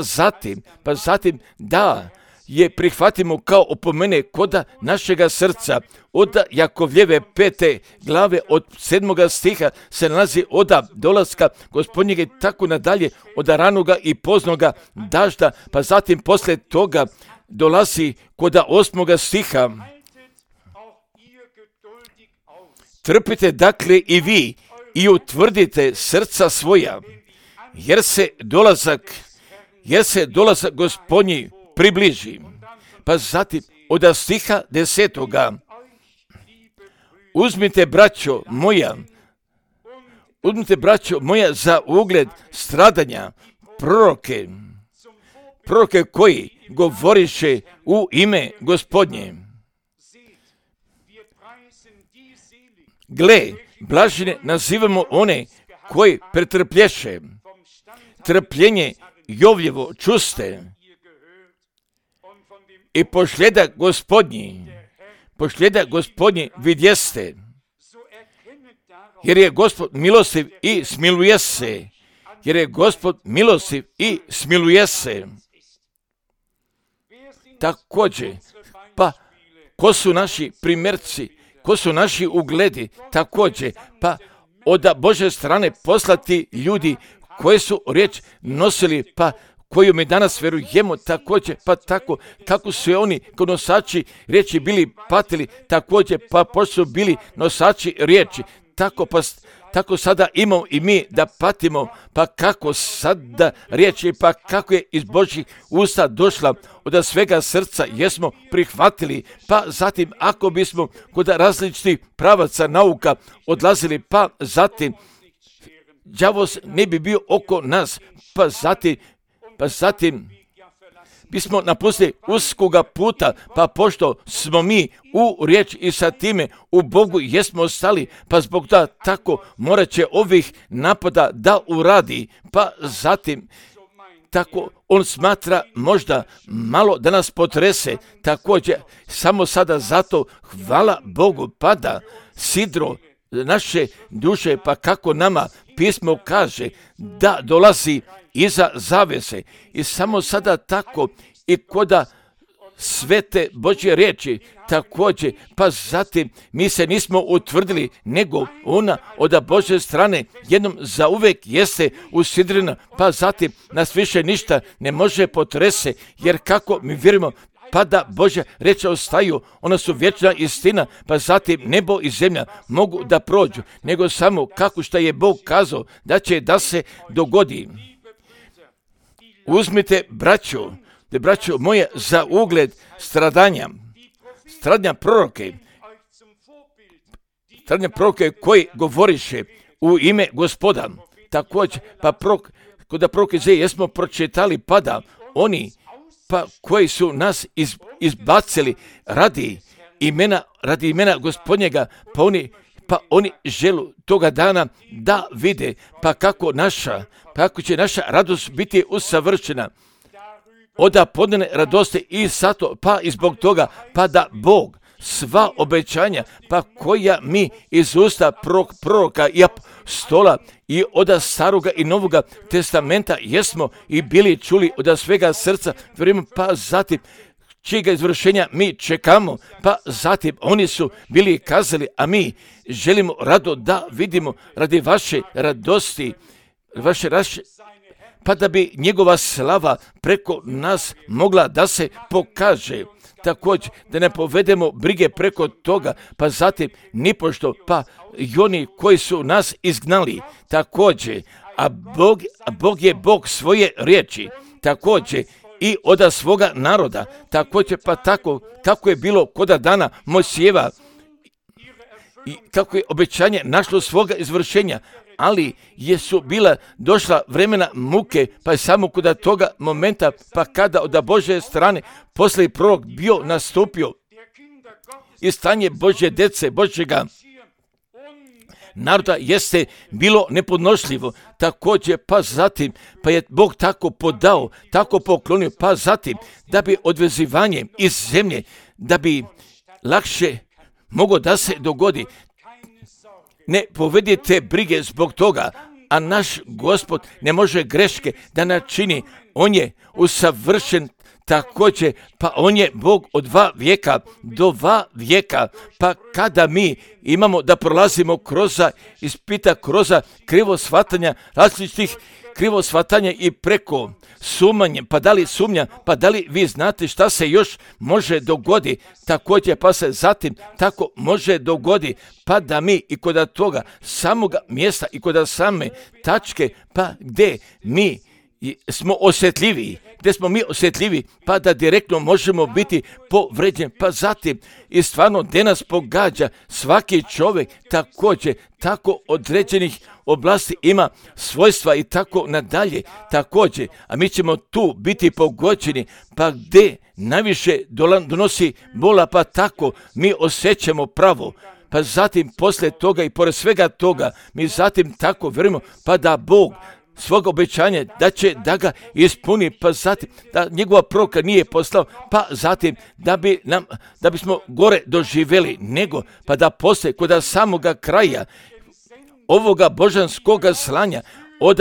zatim da je prihvatimo kao opomene koda našega srca. Od Jakovljeve 5. glave od 7. stiha se nalazi od dolaska Gospodnjega i tako nadalje, od ranoga i poznoga dažda, pa zatim poslije toga dolazi kod 8. stiha. Trpite dakle i vi i utvrdite srca svoja, jer se dolazak Gospodnji približi. Pa zatim od stiha 10. Uzmite, braćo moja, uzmite, braćo moja, za ugled stradanja proroke koji govoriše u ime Gospodnje. Gle, blažene nazivamo one koji pretrplješe. Trpljenje Jovljevo čuste i pošljeda Gospodnji vidjeste, jer je Gospod milostiv i smiluje se. Također, pa ko su naši primjerci, ko su naši ugledi, također, pa od Božje strane poslati ljudi koji su riječ nosili, pa koju mi danas vjerujemo, također, pa tako kako su oni kao nosači riječi bili patili, također, pa pošto su bili nosači riječi, tako sada imamo i mi da patimo, pa kako sada riječi, pa kako je iz Božjih usta došla, od svega srca jesmo prihvatili, pa zatim ako bismo kod različitih pravaca nauka odlazili, pa zatim đavol ne bi bio oko nas, pa zatim bismo napustili uskoga puta, pa pošto smo mi u riječ i sa time u Bogu jesmo ostali, pa zbog da tako morat će ovih napada da uradi, pa zatim tako on smatra možda malo da nas potrese, također samo sada zato hvala Bogu pada sidro naše duše, pa kako nama pismo kaže da dolazi iza zavese i samo sada tako i koda svete Božje riječi također, pa zatim mi se nismo utvrdili, nego ona od Božje strane jednom zauvek jeste usidrena, pa zatim nas više ništa ne može potrese, jer kako mi vjerujemo, pa da Božja riječ ostaju, ona su vječna istina, pa zatim nebo i zemlja mogu da prođu, nego samo kako što je Bog kazao da se dogodi. Uzmite, braćo moje, za ugled stradanja proroke koji govoriše u ime Gospoda. Također, pa kod proroke jesmo pročitali, pada oni pa koji su nas izbacili radi imena Gospodnjega, pa oni želu toga dana da vide, pa kako će naša radost biti usavršena. Oda podnene radosti i sato, pa i zbog toga, pa da Bog sva obećanja, pa koja mi iz usta proroka i apostola i od staroga i novoga testamenta jesmo i bili čuli od svega srca, vjerujemo, pa zatim čijega izvršenja mi čekamo, pa zatim oni su bili kazali, a mi želimo rado da vidimo radi vaše radosti, pa da bi njegova slava preko nas mogla da se pokaže. Također, da ne povedemo brige preko toga, pa zatim nipošto, pa i oni koji su nas izgnali, također, a Bog je Bog svoje riječi, također, i od svoga naroda, također, pa tako kako je bilo koda dana Mojsijeva, i kako je obećanje našlo svoga izvršenja, ali jesu bila došla vremena muke, pa je samo kod toga momenta, pa kada od Božje strane poslije prorok bio nastupio i stanje Božje djece, Božjega naroda jeste bilo nepodnošljivo, također, pa zatim, pa je Bog tako podao, tako poklonio, pa zatim, da bi odvezivanje iz zemlje, da bi lakše moglo da se dogodi. Ne povedite brige zbog toga, a naš Gospod ne može greške da načini, on je usavršen također, pa on je Bog od 2 vijeka do 2 vijeka, pa kada mi imamo da prolazimo ispita kroz krivo shvatanja, različitih krivo shvatanja i preko sumnje, pa da li sumnja, pa da li vi znate šta se još može dogodi, također, pa se zatim tako može dogodi, pa da mi i kod toga samoga mjesta i kod same tačke, pa gdje mi smo osjetljivi, gdje smo mi osjetljivi, pa da direktno možemo biti povređeni. Pa zatim, i stvarno gdje nas pogađa, svaki čovjek također tako određenih oblasti ima svojstva i tako nadalje također, a mi ćemo tu biti pogođeni, pa gdje najviše donosi bola, pa tako mi osjećamo pravo. Pa zatim poslije toga i pored svega toga mi zatim tako vjerujemo, pa da Bog svog obećanja da će da ga ispuni, pa zatim da njegova proroka nije poslao, pa zatim da bismo gore doživjeli nego, pa da poslije kod samoga kraja ovoga božanskoga slanja, od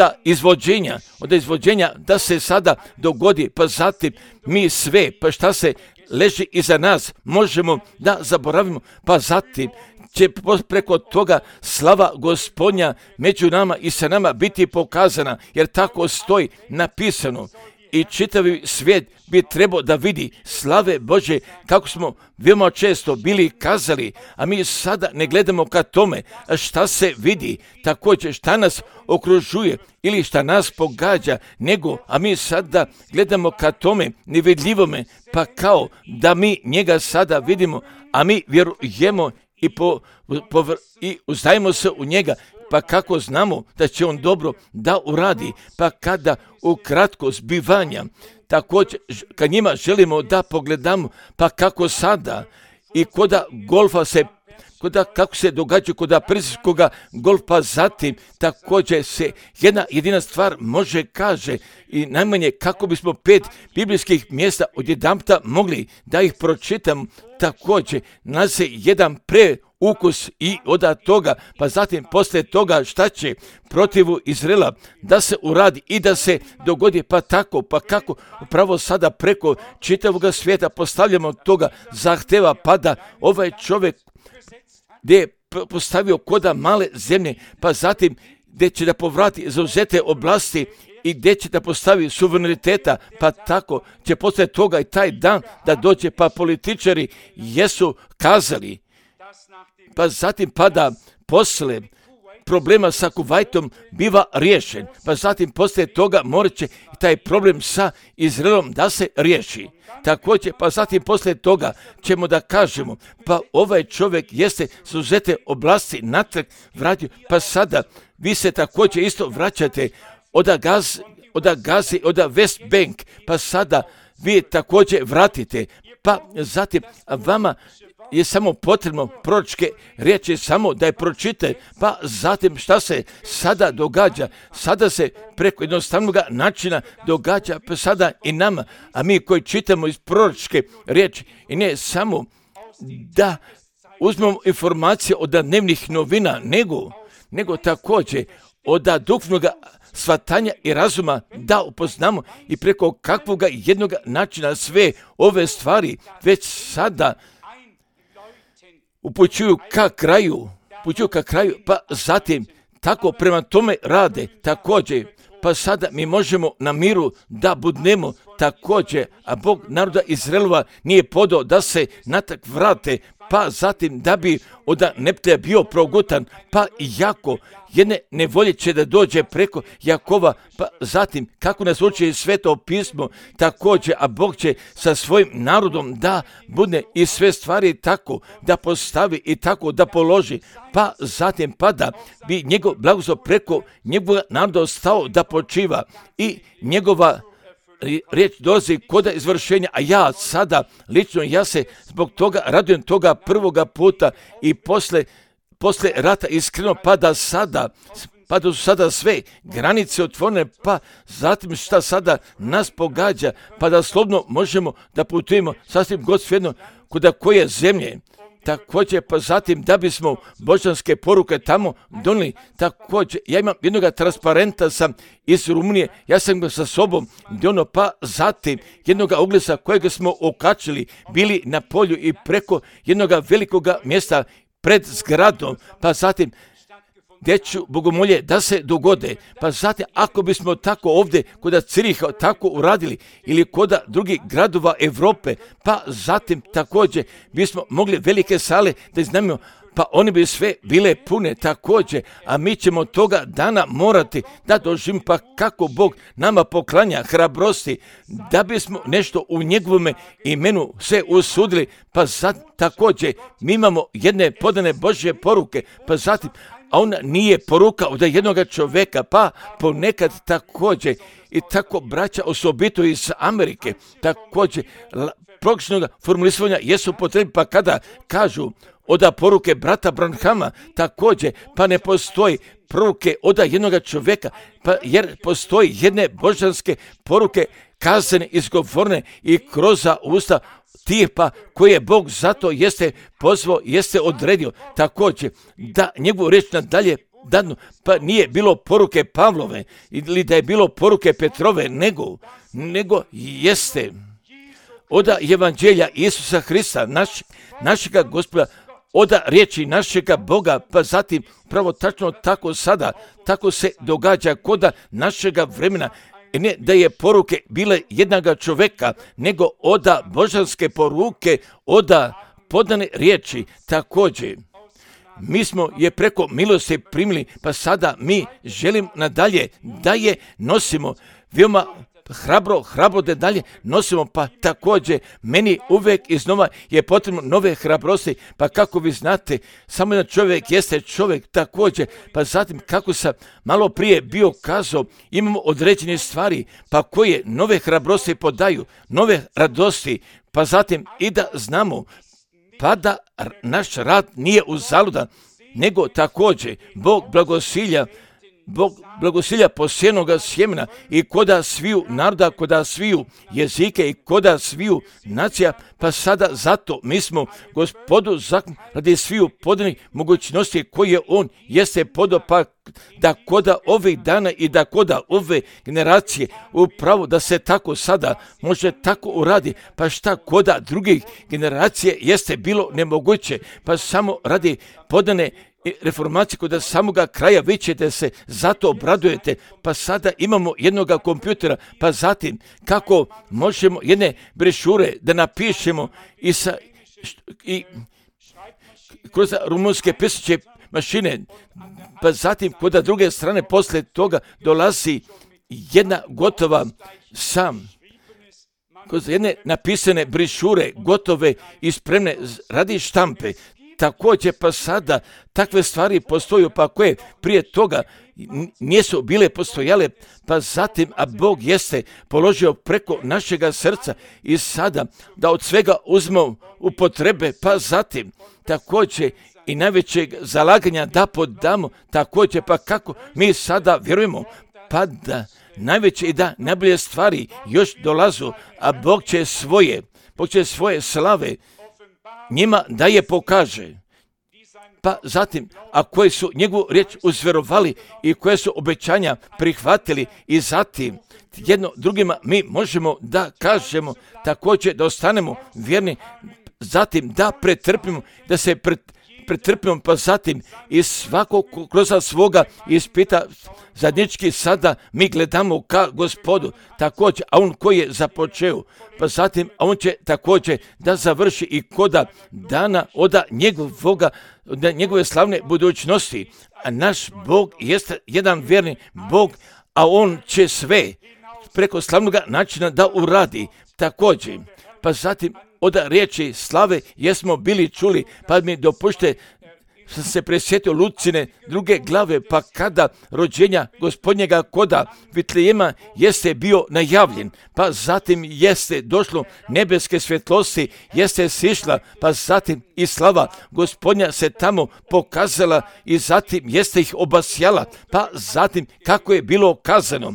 izvođenja da se sada dogodi, pa zatim mi sve, pa šta se leži iza nas, možemo da zaboravimo, pa zatim će preko toga slava Gospodnja među nama i sa nama biti pokazana, jer tako stoji napisano. I čitavi svijet bi trebao da vidi slave Bože, kako smo veoma često bili kazali, a mi sada ne gledamo ka tome šta se vidi, također šta nas okružuje ili šta nas pogađa, nego, a mi sada gledamo ka tome nevidljivome, pa kao da mi njega sada vidimo, a mi vjerujemo i uzdajemo se u njega, pa kako znamo da će on dobro da uradi, pa kada ukratko zbivanja, također kad njima želimo da pogledamo, pa kako sada i koda golfa kako se događa kod persijskoga golfa, zatim također se jedna jedina stvar može kaže i najmanje kako bismo 5 biblijskih mjesta odjedanputa mogli da ih pročitam, također nalazi jedan ukus i od toga, pa zatim poslije toga šta će protivu Izraela da se uradi i da se dogodi, pa tako, pa kako upravo sada preko čitavog svijeta postavljamo toga zahteva, pa da ovaj čovjek gdje je postavio koda male zemlje, pa zatim gdje će da povrati zauzete oblasti i gdje će da postavi suvereniteta, pa tako će poslije toga i taj dan da dođe, pa političari jesu kazali, pa zatim pada posle problema sa Kuvajtom biva riješen, pa zatim poslije toga morat će taj problem sa Izraelom da se riješi. Također, pa zatim poslije toga ćemo da kažemo, pa ovaj čovjek jeste zauzete oblasti natrag vratio, pa sada vi se također isto vraćate od Gazi, od West Bank, pa sada vi također vratite, pa zatim vama je samo potrebno proročke riječi samo da je pročite, pa zatim šta se sada događa, sada se preko jednostavnog načina događa, pa sada i nama, a mi koji čitamo iz proročke riječi i ne samo da uzmemo informacije od dnevnih novina, nego također od duhovnog shvatanja i razuma da upoznamo i preko kakvog jednog načina sve ove stvari već sada upućuju ka kraju, pa zatim tako prema tome rade također, pa sada mi možemo na miru da budnemo također, a Bog naroda Izraelova nije podao da se natak vrate, pa zatim da bi od Neptija bio progutan, pa jako jedne nevolje će da dođe preko Jakova, pa zatim kako nas uči Sveto pismo također, a Bog će sa svojim narodom da budne i sve stvari tako da postavi i tako da položi, pa zatim pada bi njegov blagoslov preko njegovog naroda ostao da počiva i njegova riječ dolazi kod izvršenja, a ja sada, lično ja se zbog toga radujem toga prvoga puta i posle rata iskreno pa da su sada sve granice otvorene, pa zatim šta sada nas pogađa, pa da slobodno možemo da putujemo sasvim god svejedno kuda koje zemlje. Također, pa zatim da bismo božanske poruke tamo donijeli, također, ja imam jednog transparenta sam iz Rumunije, ja sam ga sa sobom donio, pa zatim jednog oglasa kojeg smo okačili, bili na polju i preko jednog velikog mjesta pred zgradom, pa zatim gdje ću bogomolje da se dogode, pa zatim ako bismo tako ovdje kod Ciriha tako uradili ili kod drugih gradova Europe, pa zatim također bismo mogli velike sale da iznajmimo, pa oni bi sve bile pune također, a mi ćemo toga dana morati da doživimo, pa kako Bog nama poklanja hrabrosti, da bismo nešto u njegovome imenu se usudili, pa također mi imamo jedne podane Božje poruke, pa zatim, a ona nije poruka od jednog čovjeka, pa ponekad također, i tako braća osobito iz Amerike, također pogrešnog formulisanja jesu potrebni, pa kada kažu oda poruke brata Branhama, također, pa ne postoji poruke oda jednog čovjeka, pa jer postoji jedne božanske poruke kazane, izgovorene i kroz usta tih pa koje Bog zato jeste pozvao, jeste odredio također da njegovu riječ nadalje dadnu, pa nije bilo poruke Pavlove ili da je bilo poruke Petrove, nego jeste oda evanđelja Isusa Hrista, našega Gospoda, oda riječi našega Boga, pa zatim pravo tačno tako sada, tako se događa koda našega vremena, ne da je poruke bile jednaga čovjeka, nego oda božanske poruke, oda podane riječi također. Mi smo je preko milosti primili, pa sada mi želim nadalje da je nosimo veoma hrabro da dalje nosimo, pa također meni uvijek iznova je potrebno nove hrabrosti, pa kako vi znate, samo jedan čovjek jeste čovjek također, pa zatim kako sam malo prije bio kazao, imamo određene stvari, pa koje nove hrabrosti podaju, nove radosti, pa zatim i da znamo, pa da naš rad nije uzaludan, nego također Bog blagosilja posijenoga sjemena i koda sviju naroda, koda sviju jezike i koda sviju nacija, pa sada zato mi smo Gospodu zakon radi sviju podanih mogućnosti koje on jeste podao, pa da koda ovih dana i da koda ove generacije upravo da se tako sada može tako uradi, pa šta koda drugih generacije jeste bilo nemoguće, pa samo radi podane reformacije kod samoga kraja vi ćete se zato obradujete, pa sada imamo jednoga kompjutera, pa zatim kako možemo jedne brešure da napišemo i kroz rumunske pisaće mašine, pa zatim kod druge strane posle toga dolazi jedna gotova kroz jedne napisane brišure gotove i spremne radi štampe. Također pa sada takve stvari postoju, pa koje prije toga nisu bile postojale, pa zatim, a Bog jeste položio preko našega srca i sada da od svega uzmemo u potrebe, pa zatim također i najvećeg zalaganja da podamo, također pa kako mi sada vjerujemo, pa da najveće i da najbolje stvari još dolazu, a Bog će svoje slave njima da je pokaže. Pa zatim, a koji su njegovu riječ uzverovali i koje su obećanja prihvatili i zatim jedno drugima mi možemo da kažemo također da ostanemo vjerni, zatim da pretrpimo, da se pretrpimo, pa zatim i svako kroz svoga ispita zadnjički sada mi gledamo ka Gospodu također, a on koji je započeo, pa zatim a on će također da završi i koda dana oda njegove slavne budućnosti. A naš Bog jeste jedan vjerni Bog, a on će sve preko slavnog načina da uradi također. Pa zatim od riječi slave jesmo bili čuli, pa mi dopušte sam se presjetio Lucine druge glave, pa kada rođenja gospodnjega koda Vitlejema jeste bio najavljen, pa zatim jeste došlo nebeske svjetlosti, jeste sišla, pa zatim i slava gospodnja se tamo pokazala i zatim jeste ih obasjala, pa zatim kako je bilo kazano,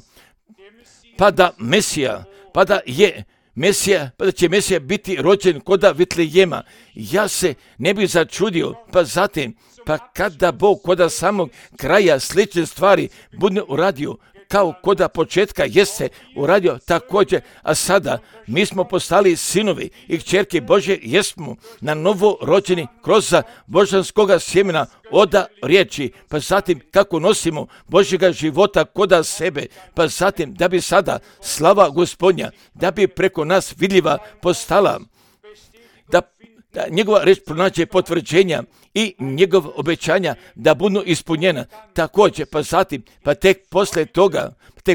pa da će Mesija biti rođen koda Vitlejema. Ja se ne bi začudio, pa zatim, pa kada Bog koda samog kraja slične stvari bude uradio, kao koda početka jeste uradio također, a sada mi smo postali sinovi i kćerke Božje, jesmo na novo rođeni kroz božanskoga sjemena oda riječi, pa zatim kako nosimo Božjega života koda sebe, pa zatim da bi sada slava Gospodnja, da bi preko nas vidljiva postala, da njegova reč pronađe potvrđenja i njegova obećanja da budu ispunjena. Također, pa zatim, pa tek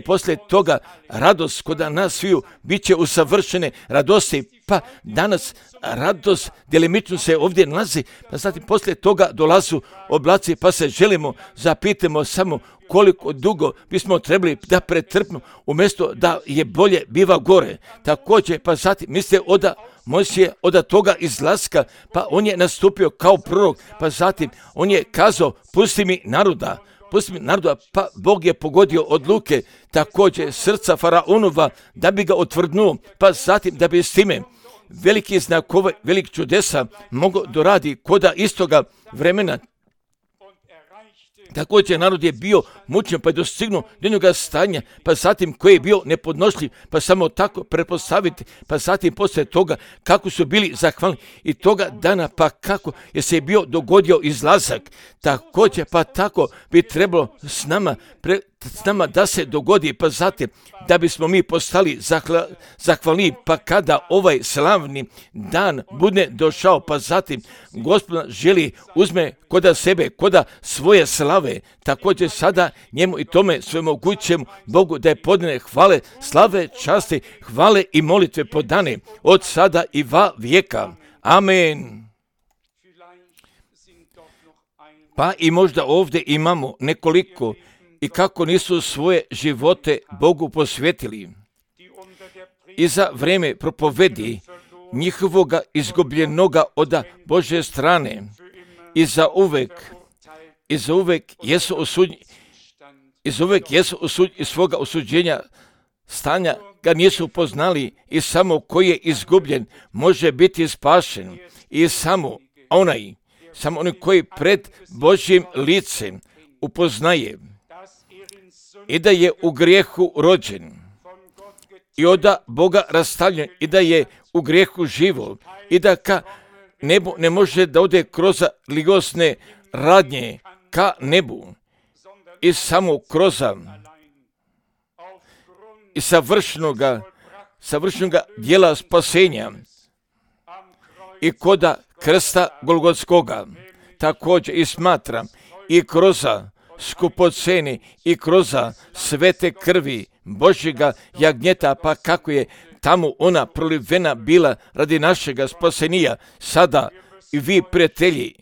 poslije toga radost kod nas sviju bit će usavršene radosti, pa danas radost djelimično se ovdje nalazi, pa zatim poslije toga dolazu oblaci, pa se želimo, zapitamo samo koliko dugo bismo trebali da pretrpimo, umjesto da je bolje biva gore. Također, pa zatim mislite Mojsije od toga izlaska, pa on je nastupio kao prorok, pa zatim on je kazao, pusti mi naroda, pa Bog je pogodio odluke, također srca Faraonova, da bi ga otvrdnuo, pa zatim da bi s time veliki znakove, velik čudesa mogo doradi koda istoga vremena. Također narod je bio mučen, pa je dostignuo do njega stanja, pa zatim koji je bio nepodnošljiv, pa samo tako pretpostaviti, pa zatim poslije toga kako su bili zahvalni i toga dana, pa kako je se bio dogodio izlazak. Također, pa tako bi trebalo s nama da se dogodi, pa zatim da bismo mi postali zahvalni, pa kada ovaj slavni dan bude došao, pa zatim Gospod želi uzme koda sebe, koda svoje slave, također sada njemu i tome svemogućem Bogu da je podane hvale, slave, časti, hvale i molitve podane od sada i va vijeka. Amen. Pa i možda ovdje imamo nekoliko i kako nisu svoje živote Bogu posvetili. I za vrijeme propovedi njihovoga izgubljenoga od Božje strane i za uvek jesu osuđeni iz svoga osuđenja stanja ga nisu poznali i samo koji je izgubljen može biti spašen i samo onaj koji pred Božjim licem upoznaje i da je u grijehu rođen i od Boga rastavljen i da je u grijehu živo i da ka nebu ne može da ode kroz ligosne radnje ka nebu i samo kroz i savršenoga djela spasenja i koda krsta Golgotskoga također i smatram i kroz skupocene i kroz svete krvi Božjega jagnjeta, pa kako je tamo ona prolivena bila radi našega spasenija. Sada i vi, prijatelji,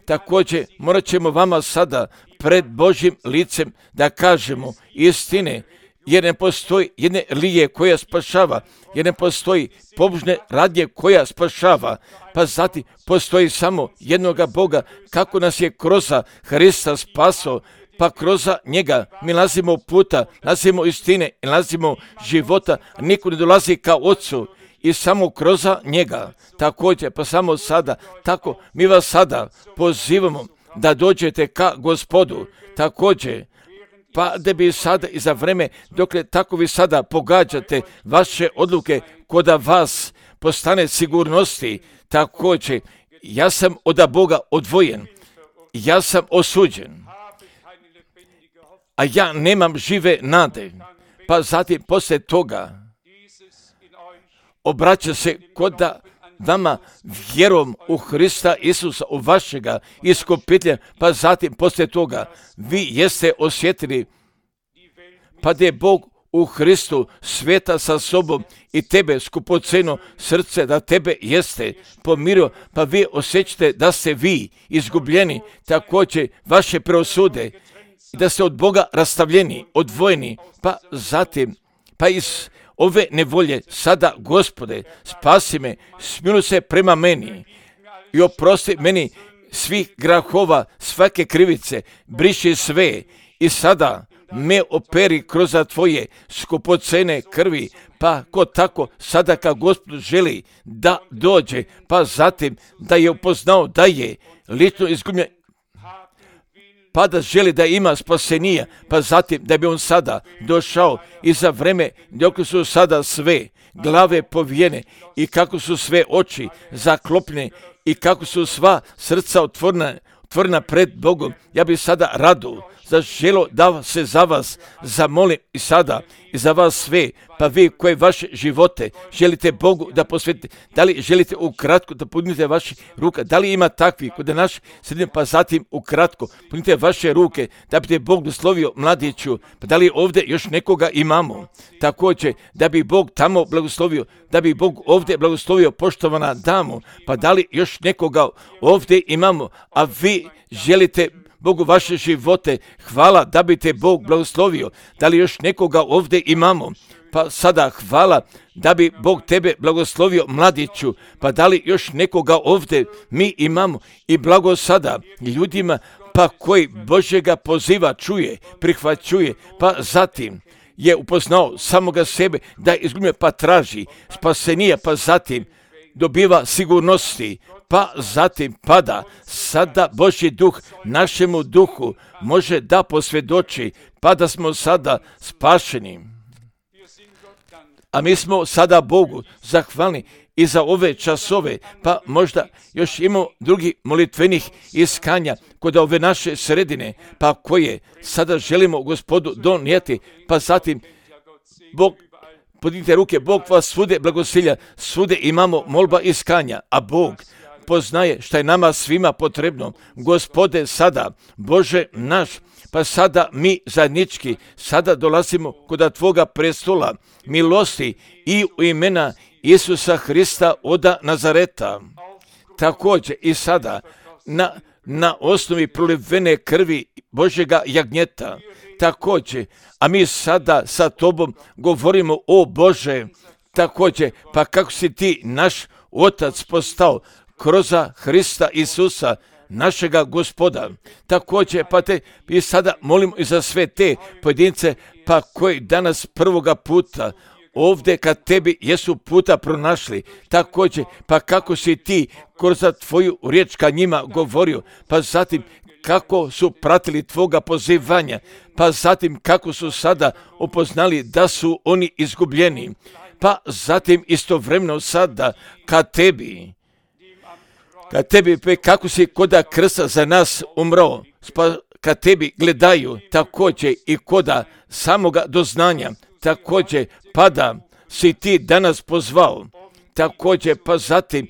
također morat ćemo vama sada pred Božjim licem da kažemo istine, jer ne postoji jedne lije koja spašava, jer ne postoji pobožne radnje koja spašava, pa zatim postoji samo jednoga Boga, kako nas je kroz Hrista spasao, pa kroz njega mi nalazimo puta, nalazimo istine i nalazimo života, niko ne dolazi kao Otcu i samo kroz njega. Također, pa samo sada, tako mi vas sada pozivamo da dođete ka Gospodu, također, pa da bi sada i za vreme, dokle tako vi sada pogađate vaše odluke, koda vas postane sigurnosti, također, ja sam od Boga odvojen, ja sam osuđen, a ja nemam žive nade, pa zatim poslije toga obraća se koda vama vjerom u Hrista Isusa, u vašega iskupitelja, pa zatim poslije toga vi jeste osjetili, pa da je Bog u Hristu sveta sa sobom i tebe skupoceno srce, da tebe jeste pomirio, pa vi osjećate da ste vi izgubljeni, također vaše preosude, da ste od Boga rastavljeni, odvojeni, pa zatim, pa iz ove nevolje sada, Gospode, spasi me, smiluj se prema meni i oprosti meni svih grahova, svake krivice, briši sve i sada me operi kroz tvoje skupocene krvi, pa ko tako sada kad Gospod želi da dođe, pa zatim da je upoznao da je lično izgubljen, pa da želi da ima spasenija, pa zatim da bi on sada došao i za vreme dok su sada sve glave povijene i kako su sve oči zaklopljene i kako su sva srca otvorena pred Bogom. Ja bi sada rado zaželo da se za vas zamolim i sada i za vas sve, pa vi koje vaše živote želite Bogu da posvetite, da li želite ukratko da podignete vaše ruke, da li ima takvi kod naš sredine, pa zatim ukratko podignite vaše ruke da bi te Bog blagoslovio mladiću, pa da li ovdje još nekoga imamo, također da bi Bog tamo blagoslovio, da bi Bog ovdje blagoslovio poštovana damu, pa da li još nekoga ovdje imamo, a vi želite Bogu vaše živote, hvala da bi te Bog blagoslovio, da li još nekoga ovdje imamo, pa sada hvala da bi Bog tebe blagoslovio mladiću, pa da li još nekoga ovdje mi imamo i blago sada ljudima pa koji Božjega poziva čuje, prihvaćuje, pa zatim je upoznao samoga sebe da je izgubio pa traži spasenija, pa zatim dobiva sigurnosti, pa zatim pada. Sada Božji duh našemu duhu može da posvjedoči, pa da smo sada spašeni. A mi smo sada Bogu zahvalni i za ove časove, pa možda još imamo drugih molitvenih iskanja kod ove naše sredine, pa koje sada želimo Gospodu donijeti, pa zatim Bog, podignite ruke, Bog vas svude blagosilja, svude imamo molba iskanja, a Bog poznaje šta je nama svima potrebno. Gospode, sada, Bože naš, pa sada mi zajednički, sada dolazimo kod Tvoga prestola milosti i u imena Isusa Hrista od Nazareta. Također i sada na osnovi prolivene krvi Božjega jagnjeta. Također, a mi sada sa Tobom govorimo, o Bože, također, pa kako si Ti naš Otac postao kroz Hrista Isusa, našega Gospoda. Također, pa te i sada molimo i za sve te pojedince, pa koji danas prvoga puta ovdje kad tebi jesu puta pronašli, također, pa kako si Ti kroz Tvoju riječ ka njima govorio, pa zatim kako su pratili Tvoga pozivanja, pa zatim kako su sada upoznali da su oni izgubljeni, pa zatim istovremeno sada kad tebi, kako si koda krsta za nas umro, pa kad tebi gledaju također i koda samoga doznanja, također pada si Ti danas pozvao, također pa zatim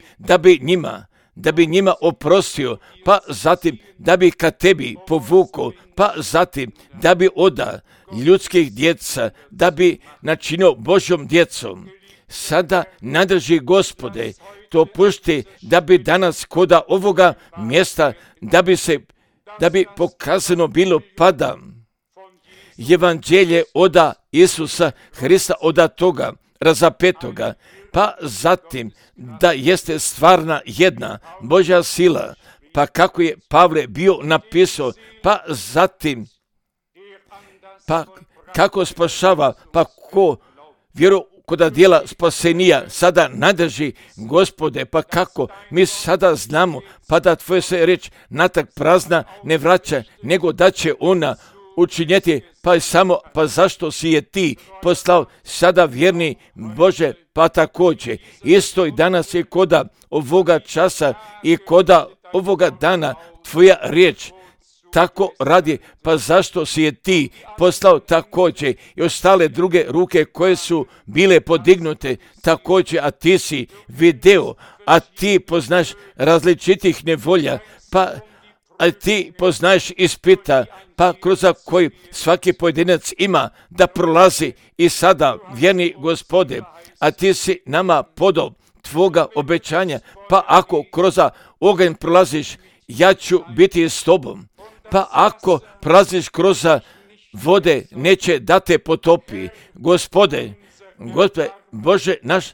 da bi njima oprostio, pa zatim da bi ka tebi povukao, pa zatim da bi oda ljudskih djeca, da bi načinio Božjom djecom. Sada nadrži Gospode, to pušti da bi danas koda ovoga mjesta, da bi pokazano bilo pada evanđelje oda Isusa Hrista, oda toga razapetoga, pa zatim da jeste stvarna jedna Božja sila, pa kako je Pavle bio napisao, pa zatim pa kako spašava, pa ko vjeru koda dijela spasenija sada nadrži Gospode, pa kako mi sada znamo, pa da Tvoja se reč natak prazna ne vraća, nego da će ona učinjeti, pa samo, pa zašto si je Ti poslao sada vjerni Bože, pa također isto i danas je koda ovoga časa i koda ovoga dana Tvoja riječ tako radi, pa zašto si je Ti poslao također i ostale druge ruke koje su bile podignute također, a Ti si video, a Ti poznaš različitih nevolja, pa a Ti poznaješ ispita, pa kroz koji svaki pojedinac ima da prolazi i sada, vjerni Gospode, a Ti si nama podao Tvoga obećanja, pa ako kroz oganj prolaziš, ja ću biti s Tobom. Pa ako prolaziš kroz vode, neće da te potopi. Gospode, Bože naš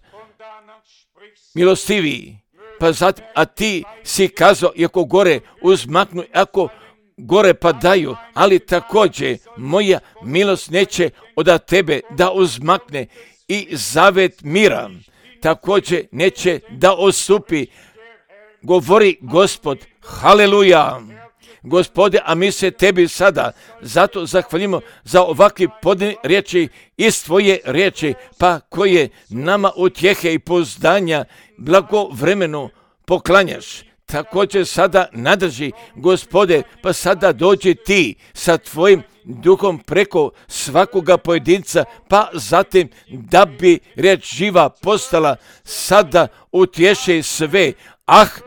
milostiviji, pa zatim, a Ti si kazao, iako gore uzmaknu, ako gore padaju, ali također moja milost neće od Tebe da uzmakne i zavet mira također neće da osupi. Govori Gospod, haleluja. Gospode, a mi se Tebi sada zato zahvalimo za ovakve podne riječi iz Tvoje riječi, pa koje nama utjehe i pouzdanja blagovremeno poklanjaš. također sada nadrži, Gospode, pa sada dođi ti sa tvojim duhom preko svakoga pojedinca, pa zatim da bi riječ živa postala sada utješe sve.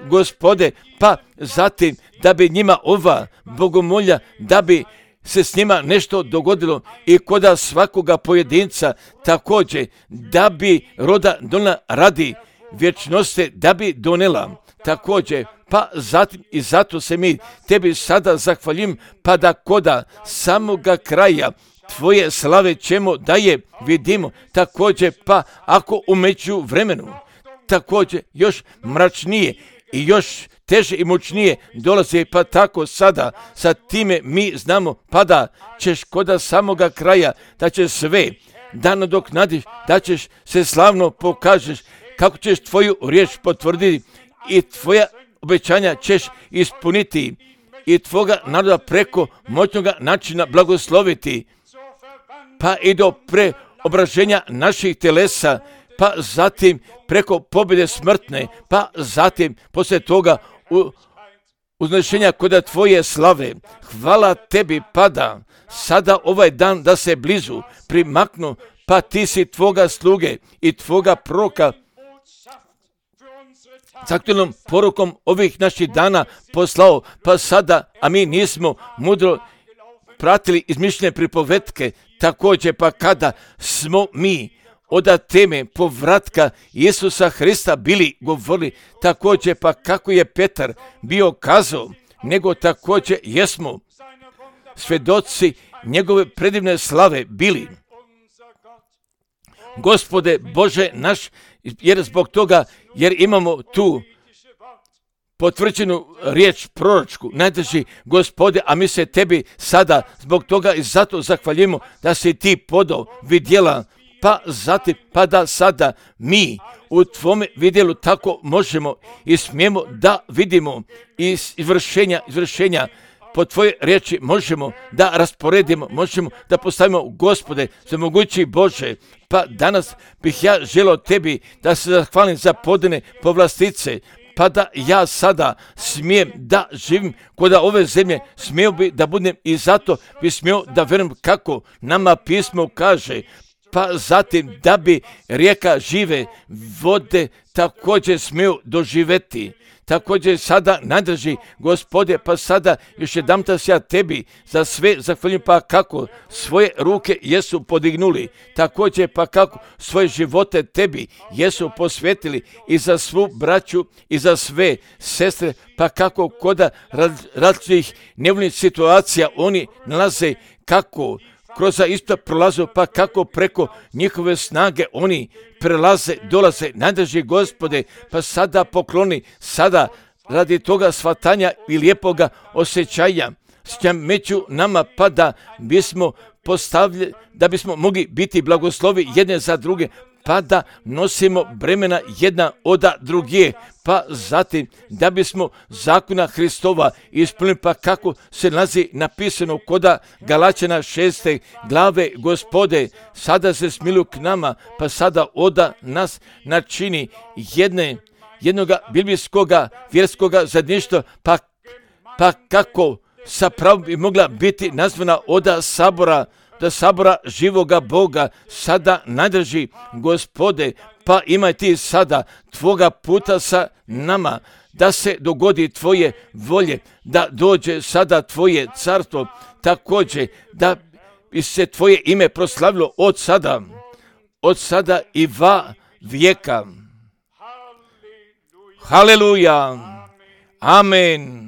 Gospode, pa zatim da bi njima ova bogomolja, da bi se s njima nešto dogodilo i koda svakoga pojedinca, također da bi roda donela radi vječnosti, da bi donela također, pa zatim i zato se mi tebi sada zahvaljim, pa da koda samoga kraja tvoje slave ćemo da je vidimo, također pa ako u međuvremenu također još mračnije i još teže i mučnije dolaze, pa tako sada sa time mi znamo, pa da ćeš koda samoga kraja, da ćeš sve da nadoknadiš, da ćeš se slavno pokažeš, kako ćeš tvoju riječ potvrditi i tvoja obećanja ćeš ispuniti i tvoga naroda preko moćnoga načina blagosloviti, pa i do preobraženja naših telesa, pa zatim preko pobjede smrtne, pa zatim poslije toga uznešenja koda tvoje slave. Hvala tebi, pada sada ovaj dan da se blizu primaknu, pa ti si tvoga sluge i tvoga proroka s aktualnom porukom ovih naših dana poslao, pa sada, a mi nismo mudro pratili izmišljene pripovetke, također pa kada smo mi od teme povratka Isusa Hrista bili govorili, također pa kako je Petar bio kazao, nego također jesmo svjedoci njegove predivne slave bili. Gospode Bože naš, jer zbog toga, jer imamo tu potvrđenu riječ proročku, najdrži Gospode, a mi se tebi sada zbog toga i zato zahvaljujemo da si ti podao vidjela, pa zatim, pa da sada mi u tvome vidjelu tako možemo i smijemo da vidimo iz izvršenja po tvoje riječi možemo da rasporedimo, možemo da postavimo, Gospode, za mogući Bože, pa danas bih ja želio tebi da se zahvalim za podane povlastice, pa da ja sada smijem da živim kod ove zemlje, smio bi da budem i zato bi smio da vjerujem kako nama pismo kaže, pa zatim da bi rijeka žive vode također smiju doživjeti. Također sada najdrži Gospode, pa sada još jedanputa se ja tebi za sve zahvaljujem, pa kako svoje ruke jesu podignuli, također pa kako svoje živote tebi jesu posvetili i za svu braću i za sve sestre, pa kako koda različitih nevoljnih situacija oni nalaze, kako kroz isto prolazu, pa kako preko njihove snage oni prelaze, dolaze, najdrži Gospode, pa sada pokloni, sada radi toga shvatanja i lijepoga osjećanja među nama, pa da bismo postavljali, da bismo mogli biti blagoslovi jedne za druge, pa da nosimo bremena jedna od druge, pa zatim da bismo zakona Hristova ispunili, pa kako se nalazi napisano koda Galačana 6. glave, Gospode, sada se smiluj k nama, pa sada oda nas načini jednoga biblijskoga vjerskoga zajedništva, pa kako sa pravom bi mogla biti nazvana oda sabora, da sabora živoga Boga, sada najdrži Gospode, pa imaj ti sada tvoga puta sa nama, da se dogodi tvoje volje, da dođe sada tvoje carstvo, također da bi se tvoje ime proslavilo od sada i va vijeka. Haleluja. Amen.